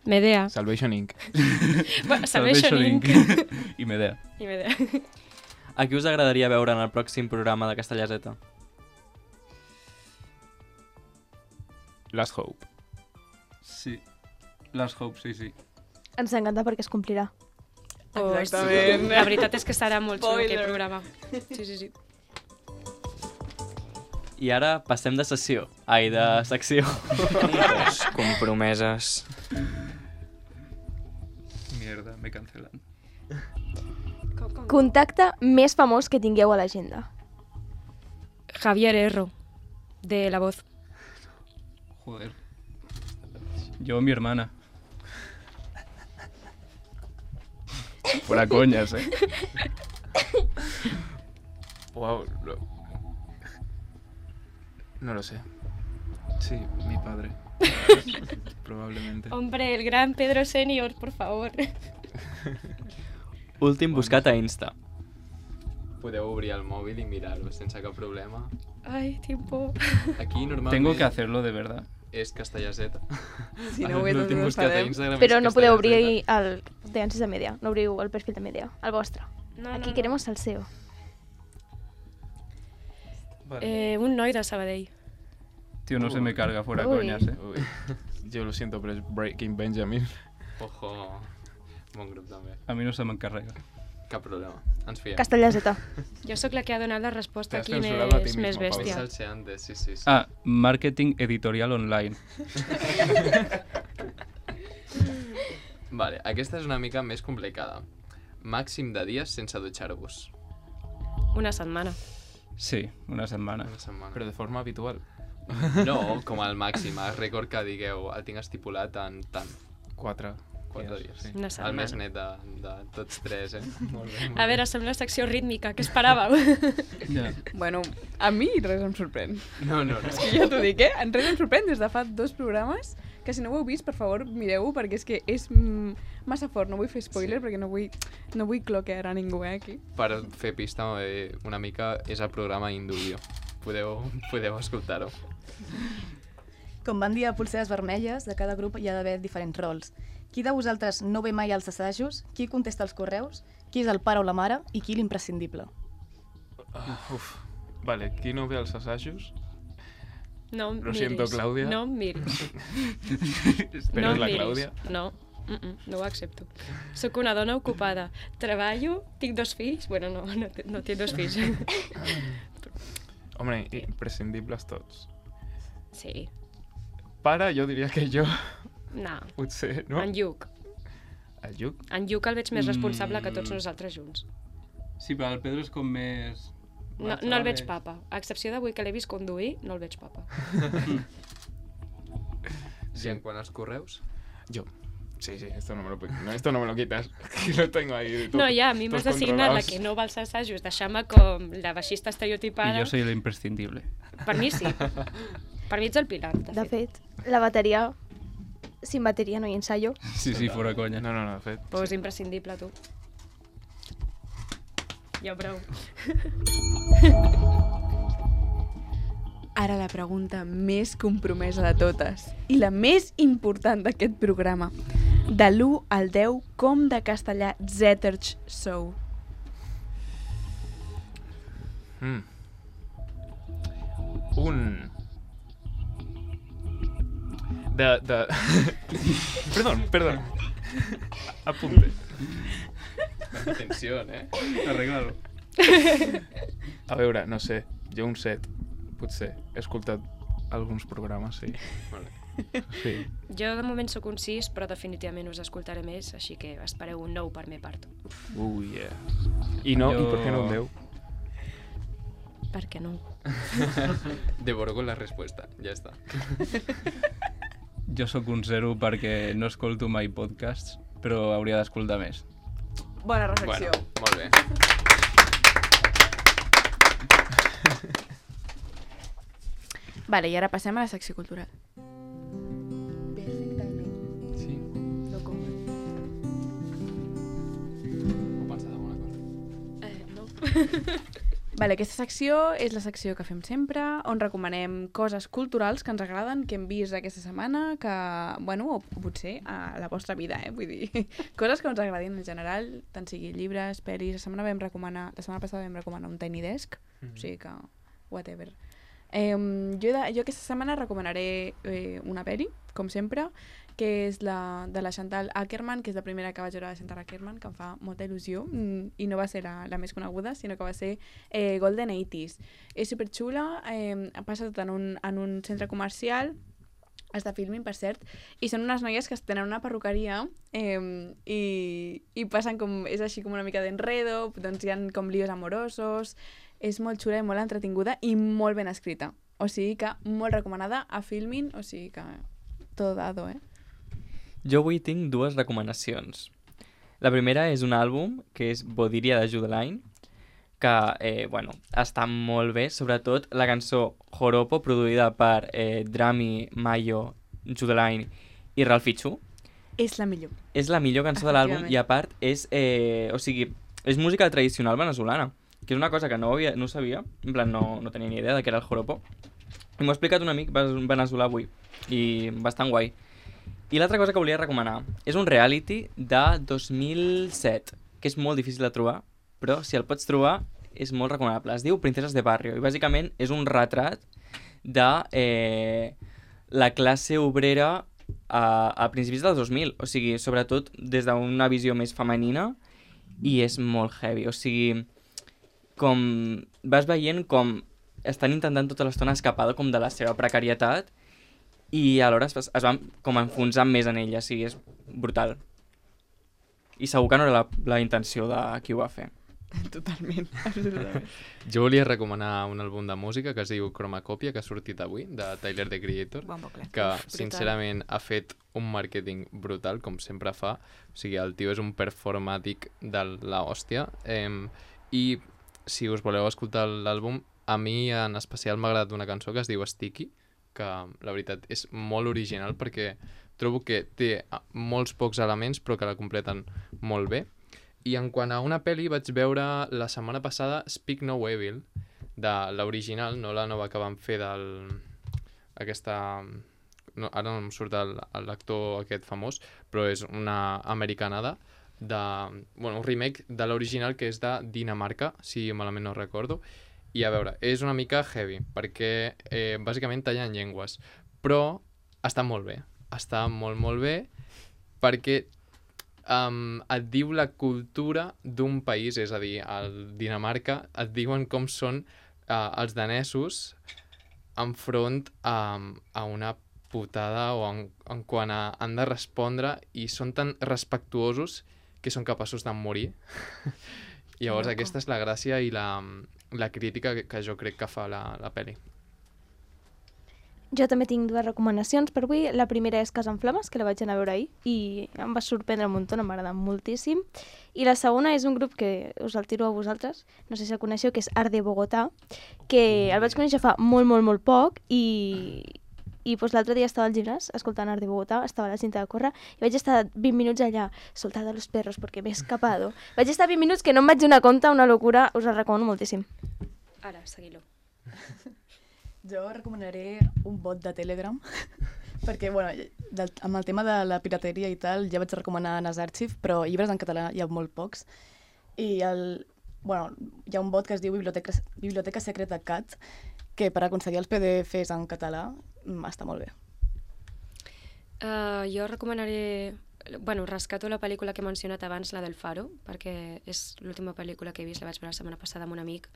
Speaker 8: Medea.
Speaker 7: Salvation incorporated.
Speaker 8: Bueno, Salvation Inc.
Speaker 9: I Medea.
Speaker 8: I Medea.
Speaker 4: A qui us agradaria veure en el pròxim programa de Castellaseta?
Speaker 7: Last Hope.
Speaker 9: Sí. Last Hope, sí, sí.
Speaker 2: Ens encanta perquè es complirà.
Speaker 8: Exactament. La veritat és que serà molt xulo
Speaker 3: Spoiler.
Speaker 8: aquest programa. Sí, sí, sí.
Speaker 4: I ara passem de sessió. Ai, de secció.
Speaker 11: Les compromeses.
Speaker 9: Mierda, me cancelan.
Speaker 2: Contacte més famós que tingueu a l'agenda.
Speaker 8: Javier Erro, de La Voz.
Speaker 9: Joder. Yo, mi hermana. Fuera coñas, eh.
Speaker 7: Wow. Lo... No lo sé. Sí, mi padre. Probablemente.
Speaker 8: Hombre, el gran Pedro Senior, por favor.
Speaker 4: Últim buscat a Insta.
Speaker 6: Podeu obrir el mòbil i mirar-ho sense cap problema.
Speaker 8: Ai, tiempo.
Speaker 6: Aquí normalment...
Speaker 9: Tengo que hacerlo de verdad.
Speaker 6: És Castellaseta.
Speaker 3: Si no ho veig,
Speaker 6: L'últim
Speaker 3: no ho
Speaker 6: buscat a
Speaker 3: sabem.
Speaker 6: Instagram
Speaker 2: Però
Speaker 6: és
Speaker 2: no podeu
Speaker 6: Castellaseta.
Speaker 2: obrir el de Ansis de Media, no obriu el perfil de Media, el vostre.
Speaker 8: No,
Speaker 2: Aquí
Speaker 8: no,
Speaker 2: queremos salseo.
Speaker 8: Eh, un noi de Sabadell.
Speaker 9: Tío, no se me carga, fuera
Speaker 2: Uy.
Speaker 9: coñas, eh.
Speaker 7: Uy. Yo lo siento, pero es Breaking Benjamin.
Speaker 6: Ojo, bon grup també.
Speaker 9: A mi no se m'encarrega.
Speaker 6: Cap problema, ens fiem.
Speaker 2: Castellaseta.
Speaker 8: Jo sóc la que ha donat la resposta
Speaker 7: Te has
Speaker 8: aquí
Speaker 7: censurado a ti
Speaker 8: més,
Speaker 7: mismo,
Speaker 8: més
Speaker 7: Pau.
Speaker 6: És
Speaker 8: bèstia.
Speaker 6: el Seantes, sí, sí, sí.
Speaker 9: Ah, marketing editorial online.
Speaker 6: Vale, aquesta és una mica més complicada. Màxim de dies sense dutxar-vos.
Speaker 8: Una setmana.
Speaker 9: Sí, una setmana.
Speaker 6: Una setmana.
Speaker 7: Pero de forma habitual.
Speaker 6: No, com el màxim, el rècord que digueu, el tinc estipulat en tant.
Speaker 7: Quatre.
Speaker 6: Quatre
Speaker 7: dies,
Speaker 6: dies.
Speaker 7: sí.
Speaker 8: Una
Speaker 6: El
Speaker 8: setmana.
Speaker 6: més net de, de tots tres, eh? Molt bé, molt
Speaker 8: A
Speaker 6: bé.
Speaker 8: veure, sembla secció rítmica, què esperàveu?
Speaker 9: Ja.
Speaker 3: Bueno, a mi res em sorprèn.
Speaker 6: No, no, no.
Speaker 3: És que ja t'ho dic, eh? En res em sorprèn des de fa dos programes, que si no ho heu vist, per favor, mireu-ho, perquè és que és mm, massa fort. No vull fer spoiler,
Speaker 6: Sí.
Speaker 3: perquè no vull, no vull cloquear a ningú, eh, aquí.
Speaker 6: Per fer pista eh, una mica és el programa Induio. Podeu, podeu escoltar-ho.
Speaker 5: Com van dir a Pulseres Vermelles, de cada grup hi ha d'haver diferents rols. Qui de vosaltres no ve mai als assajos? Qui contesta els correus? Qui és el pare o la mare? I qui l'imprescindible?
Speaker 7: Uh, uf. Vale, qui no ve als assajos?
Speaker 8: No em
Speaker 7: Lo
Speaker 8: miris.
Speaker 7: siento, Claudia.
Speaker 8: No em miris.
Speaker 7: Pero
Speaker 8: no
Speaker 7: es la
Speaker 8: em miris.
Speaker 7: Claudia.
Speaker 8: No. Mm -mm, no ho accepto. Soc una dona ocupada. Treballo, tinc dos fills... Bueno, no, no, no tinc dos fills.
Speaker 7: Home, imprescindibles tots.
Speaker 8: Sí.
Speaker 7: Pare, jo diria que jo...
Speaker 8: No.
Speaker 7: Potser, no?
Speaker 8: En Lluc.
Speaker 7: El Lluc?
Speaker 8: En Lluc el veig més responsable que tots nosaltres junts.
Speaker 9: Sí, però el Pedro és com més...
Speaker 8: No, no el veig papa. A excepció d'avui que l'he vist conduir, no el veig papa.
Speaker 6: Sí, en quant als correus?
Speaker 7: Jo. Sí, sí, esto no me lo, no, esto no me lo quitas. Lo tengo ahí.
Speaker 8: No, ja, a mi m'has assignat la que no va als assajos, deixar-me com la baixista estereotipada.
Speaker 9: I jo soy l'imprescindible.
Speaker 8: Per mi sí. Per mi ets el Pilar, de,
Speaker 2: de fet. fet. La bateria... Sin bateria no hi ensayo.
Speaker 9: Sí, sí, fora conya.
Speaker 7: No, no, no, de fet.
Speaker 8: Però és imprescindible, tu. Ja prou.
Speaker 3: Ara la pregunta més compromesa de totes i la més important d'aquest programa. De l'u al deu, com de castellà zèterch sou?
Speaker 7: Mm. Un... De... de... perdón, perdón. Apunte.
Speaker 6: Atenció, eh?
Speaker 9: Arregla-lo.
Speaker 7: A veure, no sé, jo un set, potser. He escoltat alguns programes, sí.
Speaker 6: Vale.
Speaker 7: Sí.
Speaker 8: Jo de moment sóc un sis, però definitivament us escoltaré més, així que espereu un nou per mi part.
Speaker 7: Uh, yeah. I no, jo... i per què no un deu?
Speaker 8: Per què no?
Speaker 6: Devoro con la respuesta, ja està.
Speaker 9: Jo sóc un zero perquè no escolto mai podcasts, però hauria d'escoltar més.
Speaker 3: Bona reflexió.
Speaker 6: Bueno, molt bé.
Speaker 3: Vale, i ara passem a la secció cultural.
Speaker 5: Perfectament.
Speaker 6: Sí.
Speaker 5: No com.
Speaker 6: Ho pensat alguna cosa?
Speaker 8: Eh, no.
Speaker 3: Vale, aquesta secció és la secció que fem sempre, on recomanem coses culturals que ens agraden, que hem vist aquesta setmana, que, bueno, o potser a la vostra vida, eh? Vull dir, coses que ens agradin en general, tant sigui llibres, pel·lis. La setmana vam recomanar, la setmana passada vam recomanar un Tiny Desk, mm-hmm. O sigui que, whatever. Eh, jo, de, jo aquesta setmana recomanaré eh, una pel·li, com sempre, que és la de la Chantal Akerman, que és la primera que vaig veure de Chantal Akerman, que em fa molta il·lusió, mm, i no va ser la, la més coneguda, sinó que va ser eh, Golden eighties. És superxula, eh, passa tot en un, en un centre comercial, està filming, per cert, i són unes noies que tenen una perruqueria eh, i, i passen com, és així com una mica d'enredo, doncs hi ha com líos amorosos, és molt xula i molt entretinguda i molt ben escrita. O sigui que molt recomanada a Filmin, o sigui que tot dado, eh?
Speaker 4: Jo avui tinc dues recomanacions. La primera és un àlbum que és Bodiria de Judeline, que, eh, bueno, està molt bé, sobretot la cançó Joropo, produïda per eh, Drami, Mayo, Judeline i Ralphie Chu.
Speaker 3: És la millor.
Speaker 4: És la millor cançó de l'àlbum i, a part, és, eh, o sigui, és música tradicional venezolana, que és una cosa que no, havia, no sabia, en plan, no, no tenia ni idea de què era el Joropo. I m'ho ha explicat un amic veneçolà avui, i bastant guai. I l'altra cosa que volia recomanar és un reality de dos mil set, que és molt difícil de trobar, però si el pots trobar és molt recomanable. Es diu Princeses de Barrio i bàsicament és un retrat de eh, la classe obrera a, a principis dels dos mil, o sigui, sobretot des d'una visió més femenina, i és molt heavy, o sigui, com vas veient com estan intentant tota l'estona escapar com de la seva precarietat i alhora es, es van com enfonsant més en ella, o sigui, és brutal. I segur que no era la, la intenció de qui ho va fer.
Speaker 3: Totalment, absolutament.
Speaker 6: Jo volia recomanar un àlbum de música que es diu Chromacopia, que ha sortit avui, de Tyler, the Creator,
Speaker 3: bon bucle.
Speaker 6: que
Speaker 3: Uf,
Speaker 6: sincerament ha fet un màrqueting brutal, com sempre fa. O sigui, el tio és un performàtic de la hòstia. Eh, I si us voleu escoltar l'àlbum, a mi en especial m'ha agradat una cançó que es diu Sticky, que la veritat és molt original perquè trobo que té molts pocs elements però que la completen molt bé. I en quant a una pel·li vaig veure la setmana passada Speak No Evil, de l'original, no la nova que van fer del... aquesta... No, ara no em surt l'actor aquest famós, però és una americanada de... bueno, un remake de l'original que és de Dinamarca, si malament no recordo. I a veure, és una mica heavy, perquè eh, bàsicament tallen llengües, però està molt bé, està molt molt bé, perquè um, et diu la cultura d'un país, és a dir, al Dinamarca et diuen com són uh, els danesos enfront a, a una putada o en, en quan a, han de respondre i són tan respectuosos que són capaços de morir. Llavors Loco. Aquesta és la gràcia i la, la crítica que, que jo crec que fa la, la pel·li.
Speaker 2: Jo també tinc dues recomanacions per avui. La primera és Casa en Flames, que la vaig anar a veure ahir i em va sorprendre un munt, m'ha agradat moltíssim. I la segona és un grup que us el tiro a vosaltres, no sé si el coneixeu, que és Art de Bogotà, que el vaig conèixer fa molt, molt, molt poc i, i doncs, l'altre dia estava al gimnàs escoltant Art de Bogotà, estava a la cinta de córrer i vaig estar vint minuts allà, soltada los perros perquè m'he escapado. Vaig estar vint minuts que no em vaig donar compte, una locura, us el recomano moltíssim.
Speaker 8: Ara, seguir-lo.
Speaker 5: Jo recomanaré un bot de Telegram, perquè bueno, del, amb el tema de la pirateria i tal, ja vaig recomanar Nas Archive, però llibres en català hi ha molt pocs. I el, bueno, hi ha un bot que es diu Biblioteca, Biblioteca Secreta Cat, que per aconseguir els P D Fs en català està molt bé.
Speaker 8: Uh, jo recomanaré... Bueno, rescato la pel·lícula que he mencionat abans, la del Faro, perquè és l'última pel·lícula que he vist, la vaig veure la setmana passada amb un amic,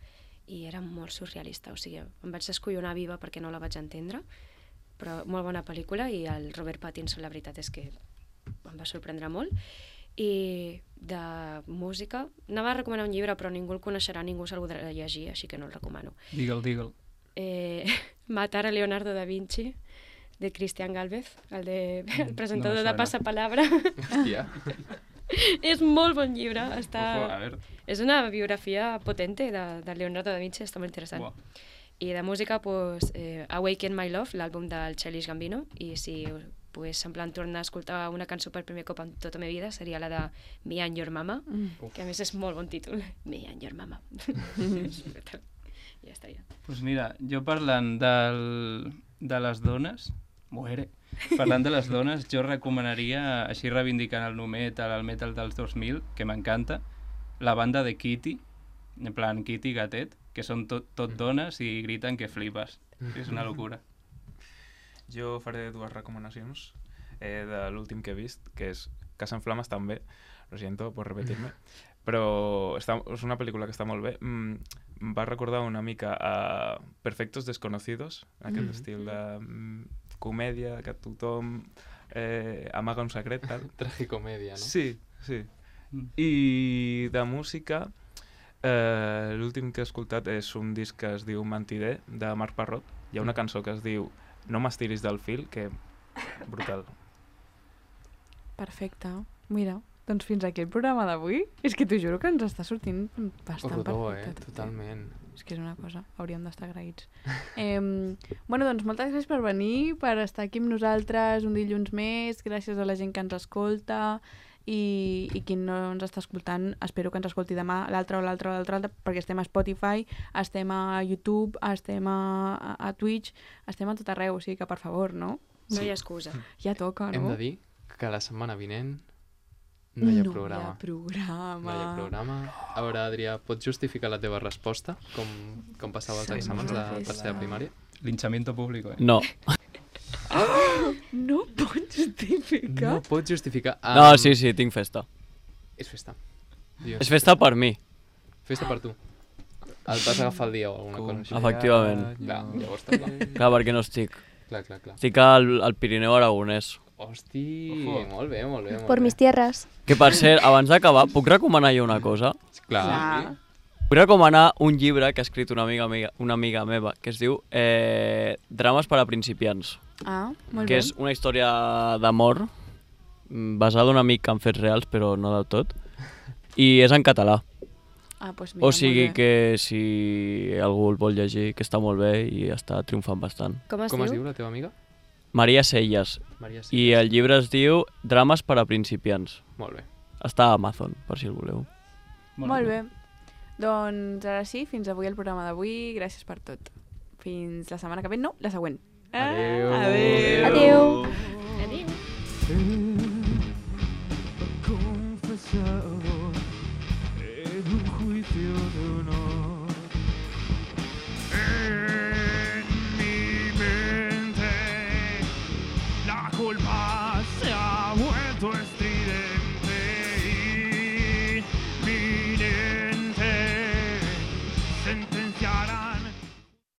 Speaker 8: i era molt surrealista, o sigui, em vaig descollonar viva perquè no la vaig entendre, però molt bona pel·lícula i el Robert Pattinson, la veritat és que em va sorprendre molt. I de música, anava a recomanar un llibre però ningú el coneixerà, ningú se'l podrà llegir, així que no el recomano.
Speaker 9: Digue'l, digue'l.
Speaker 8: Eh, Matar a Leonardo da Vinci, de Cristian Gálvez, el, de, el presentador no de Passapalabra.
Speaker 6: Hòstia.
Speaker 8: És molt bon llibre, està...
Speaker 9: Ojo, a ver.
Speaker 8: És una biografia potente de, de Leonardo da Vinci, està molt interessant.
Speaker 9: Buah.
Speaker 8: I de música, pues, eh, Awaken My Love, l'àlbum del Childish Gambino, i si pues, en plan tornar a escoltar una cançó per primer cop en tota la meva vida seria la de Me and Your Mama, mm. que a més és molt bon títol, Me and Your Mama. Ja estaria.
Speaker 9: Pues mira, jo parlant del, de les dones, muere. Parlant de les dones, jo recomanaria, així reivindicant el nu metal, el metal dels dos mil, que m'encanta, la banda de Kitty, en plan Kitty Gatet, que són tot, tot dones i griten que flipes. És una locura.
Speaker 7: Jo faré dues recomanacions eh, de l'últim que he vist, que és Casa en Flames també, lo siento por repetirme, però està, és una pel·lícula que està molt bé. Mm, em va recordar una mica a Perfectos Desconocidos, aquest mm. estil de mm, comèdia, que tothom eh, amaga un secret, tal.
Speaker 6: Tragicomèdia, no?
Speaker 7: Sí, sí. Mm. I de música, eh, l'últim que he escoltat és un disc que es diu Mentider, de Marc Parrot. Hi ha una cançó que es diu No m'estiris del fil, que brutal.
Speaker 3: Perfecte. Mira, doncs fins aquí el programa d'avui. És que t'ho juro que ens està sortint bastant
Speaker 6: Rodó,
Speaker 3: perfecte.
Speaker 6: eh? Totalment.
Speaker 3: És que és una cosa, hauríem d'estar agraïts. eh, bueno, doncs moltes gràcies per venir, per estar aquí amb nosaltres un dilluns més, gràcies a la gent que ens escolta i, i qui no ens està escoltant, espero que ens escolti demà l'altre o l'altre o l'altre, perquè estem a Spotify, estem a YouTube, estem a, a Twitch, estem a tot arreu, o sigui que per favor, no?
Speaker 8: No hi ha excusa.
Speaker 3: Ja toca, no?
Speaker 6: Hem de dir que la setmana vinent no hi ha
Speaker 3: no
Speaker 6: programa.
Speaker 3: No hi ha programa.
Speaker 6: No hi ha programa. A veure, Adrià, pots justificar la teva resposta, com, com passava els
Speaker 3: Sí,
Speaker 6: exàmens de
Speaker 3: festa.
Speaker 6: tercera primària?
Speaker 9: Linchamiento público, eh?
Speaker 1: No.
Speaker 3: Oh! No pots justificar?
Speaker 6: No pots justificar. Um,
Speaker 1: No, sí, sí, tinc festa.
Speaker 6: És festa. Dios.
Speaker 1: És festa per mi.
Speaker 6: Festa per tu. El vas agafar el dia o alguna cosa així.
Speaker 1: Efectivament.
Speaker 6: Clar, llavors està clar.
Speaker 1: Clar, perquè no estic.
Speaker 6: Clar, clar, clar.
Speaker 1: Estic al, al Pirineu Aragonès.
Speaker 6: Hosti,
Speaker 9: Ojo.
Speaker 6: molt bé, molt bé. Molt
Speaker 2: Por
Speaker 6: bé.
Speaker 2: mis tierras.
Speaker 1: Que per cert, abans d'acabar, puc recomanar jo una cosa?
Speaker 6: Clar.
Speaker 3: Clar.
Speaker 1: Vull recomanar un llibre que ha escrit una amiga, amiga, una amiga meva, que es diu eh, Drames per a principiants,
Speaker 3: Ah, molt
Speaker 1: que
Speaker 3: bé.
Speaker 1: és una història d'amor mm, basada en un amic en fets reals, però no del tot, i és en català.
Speaker 3: Ah, doncs mira,
Speaker 1: O sigui
Speaker 3: molt bé.
Speaker 1: que si algú el vol llegir, que està molt bé i està triomfant bastant.
Speaker 8: Com es
Speaker 6: Com es
Speaker 8: diu?
Speaker 6: diu la teva amiga?
Speaker 1: Maria Selles.
Speaker 6: Maria
Speaker 1: I
Speaker 6: Silva.
Speaker 1: el llibre es diu Drames per a principiants.
Speaker 6: Molt bé.
Speaker 1: Està a Amazon, per si el voleu.
Speaker 3: Molt bé. Doncs ara sí, fins avui el programa d'avui. Gràcies per tot. Fins la setmana que ve. No, la següent.
Speaker 6: Adéu.
Speaker 3: Ah, adéu.
Speaker 2: Adéu.
Speaker 8: Adéu.
Speaker 10: Confesado en un juicio de honor. En mi mente la culpa se ha vuelto estridente. silenciarán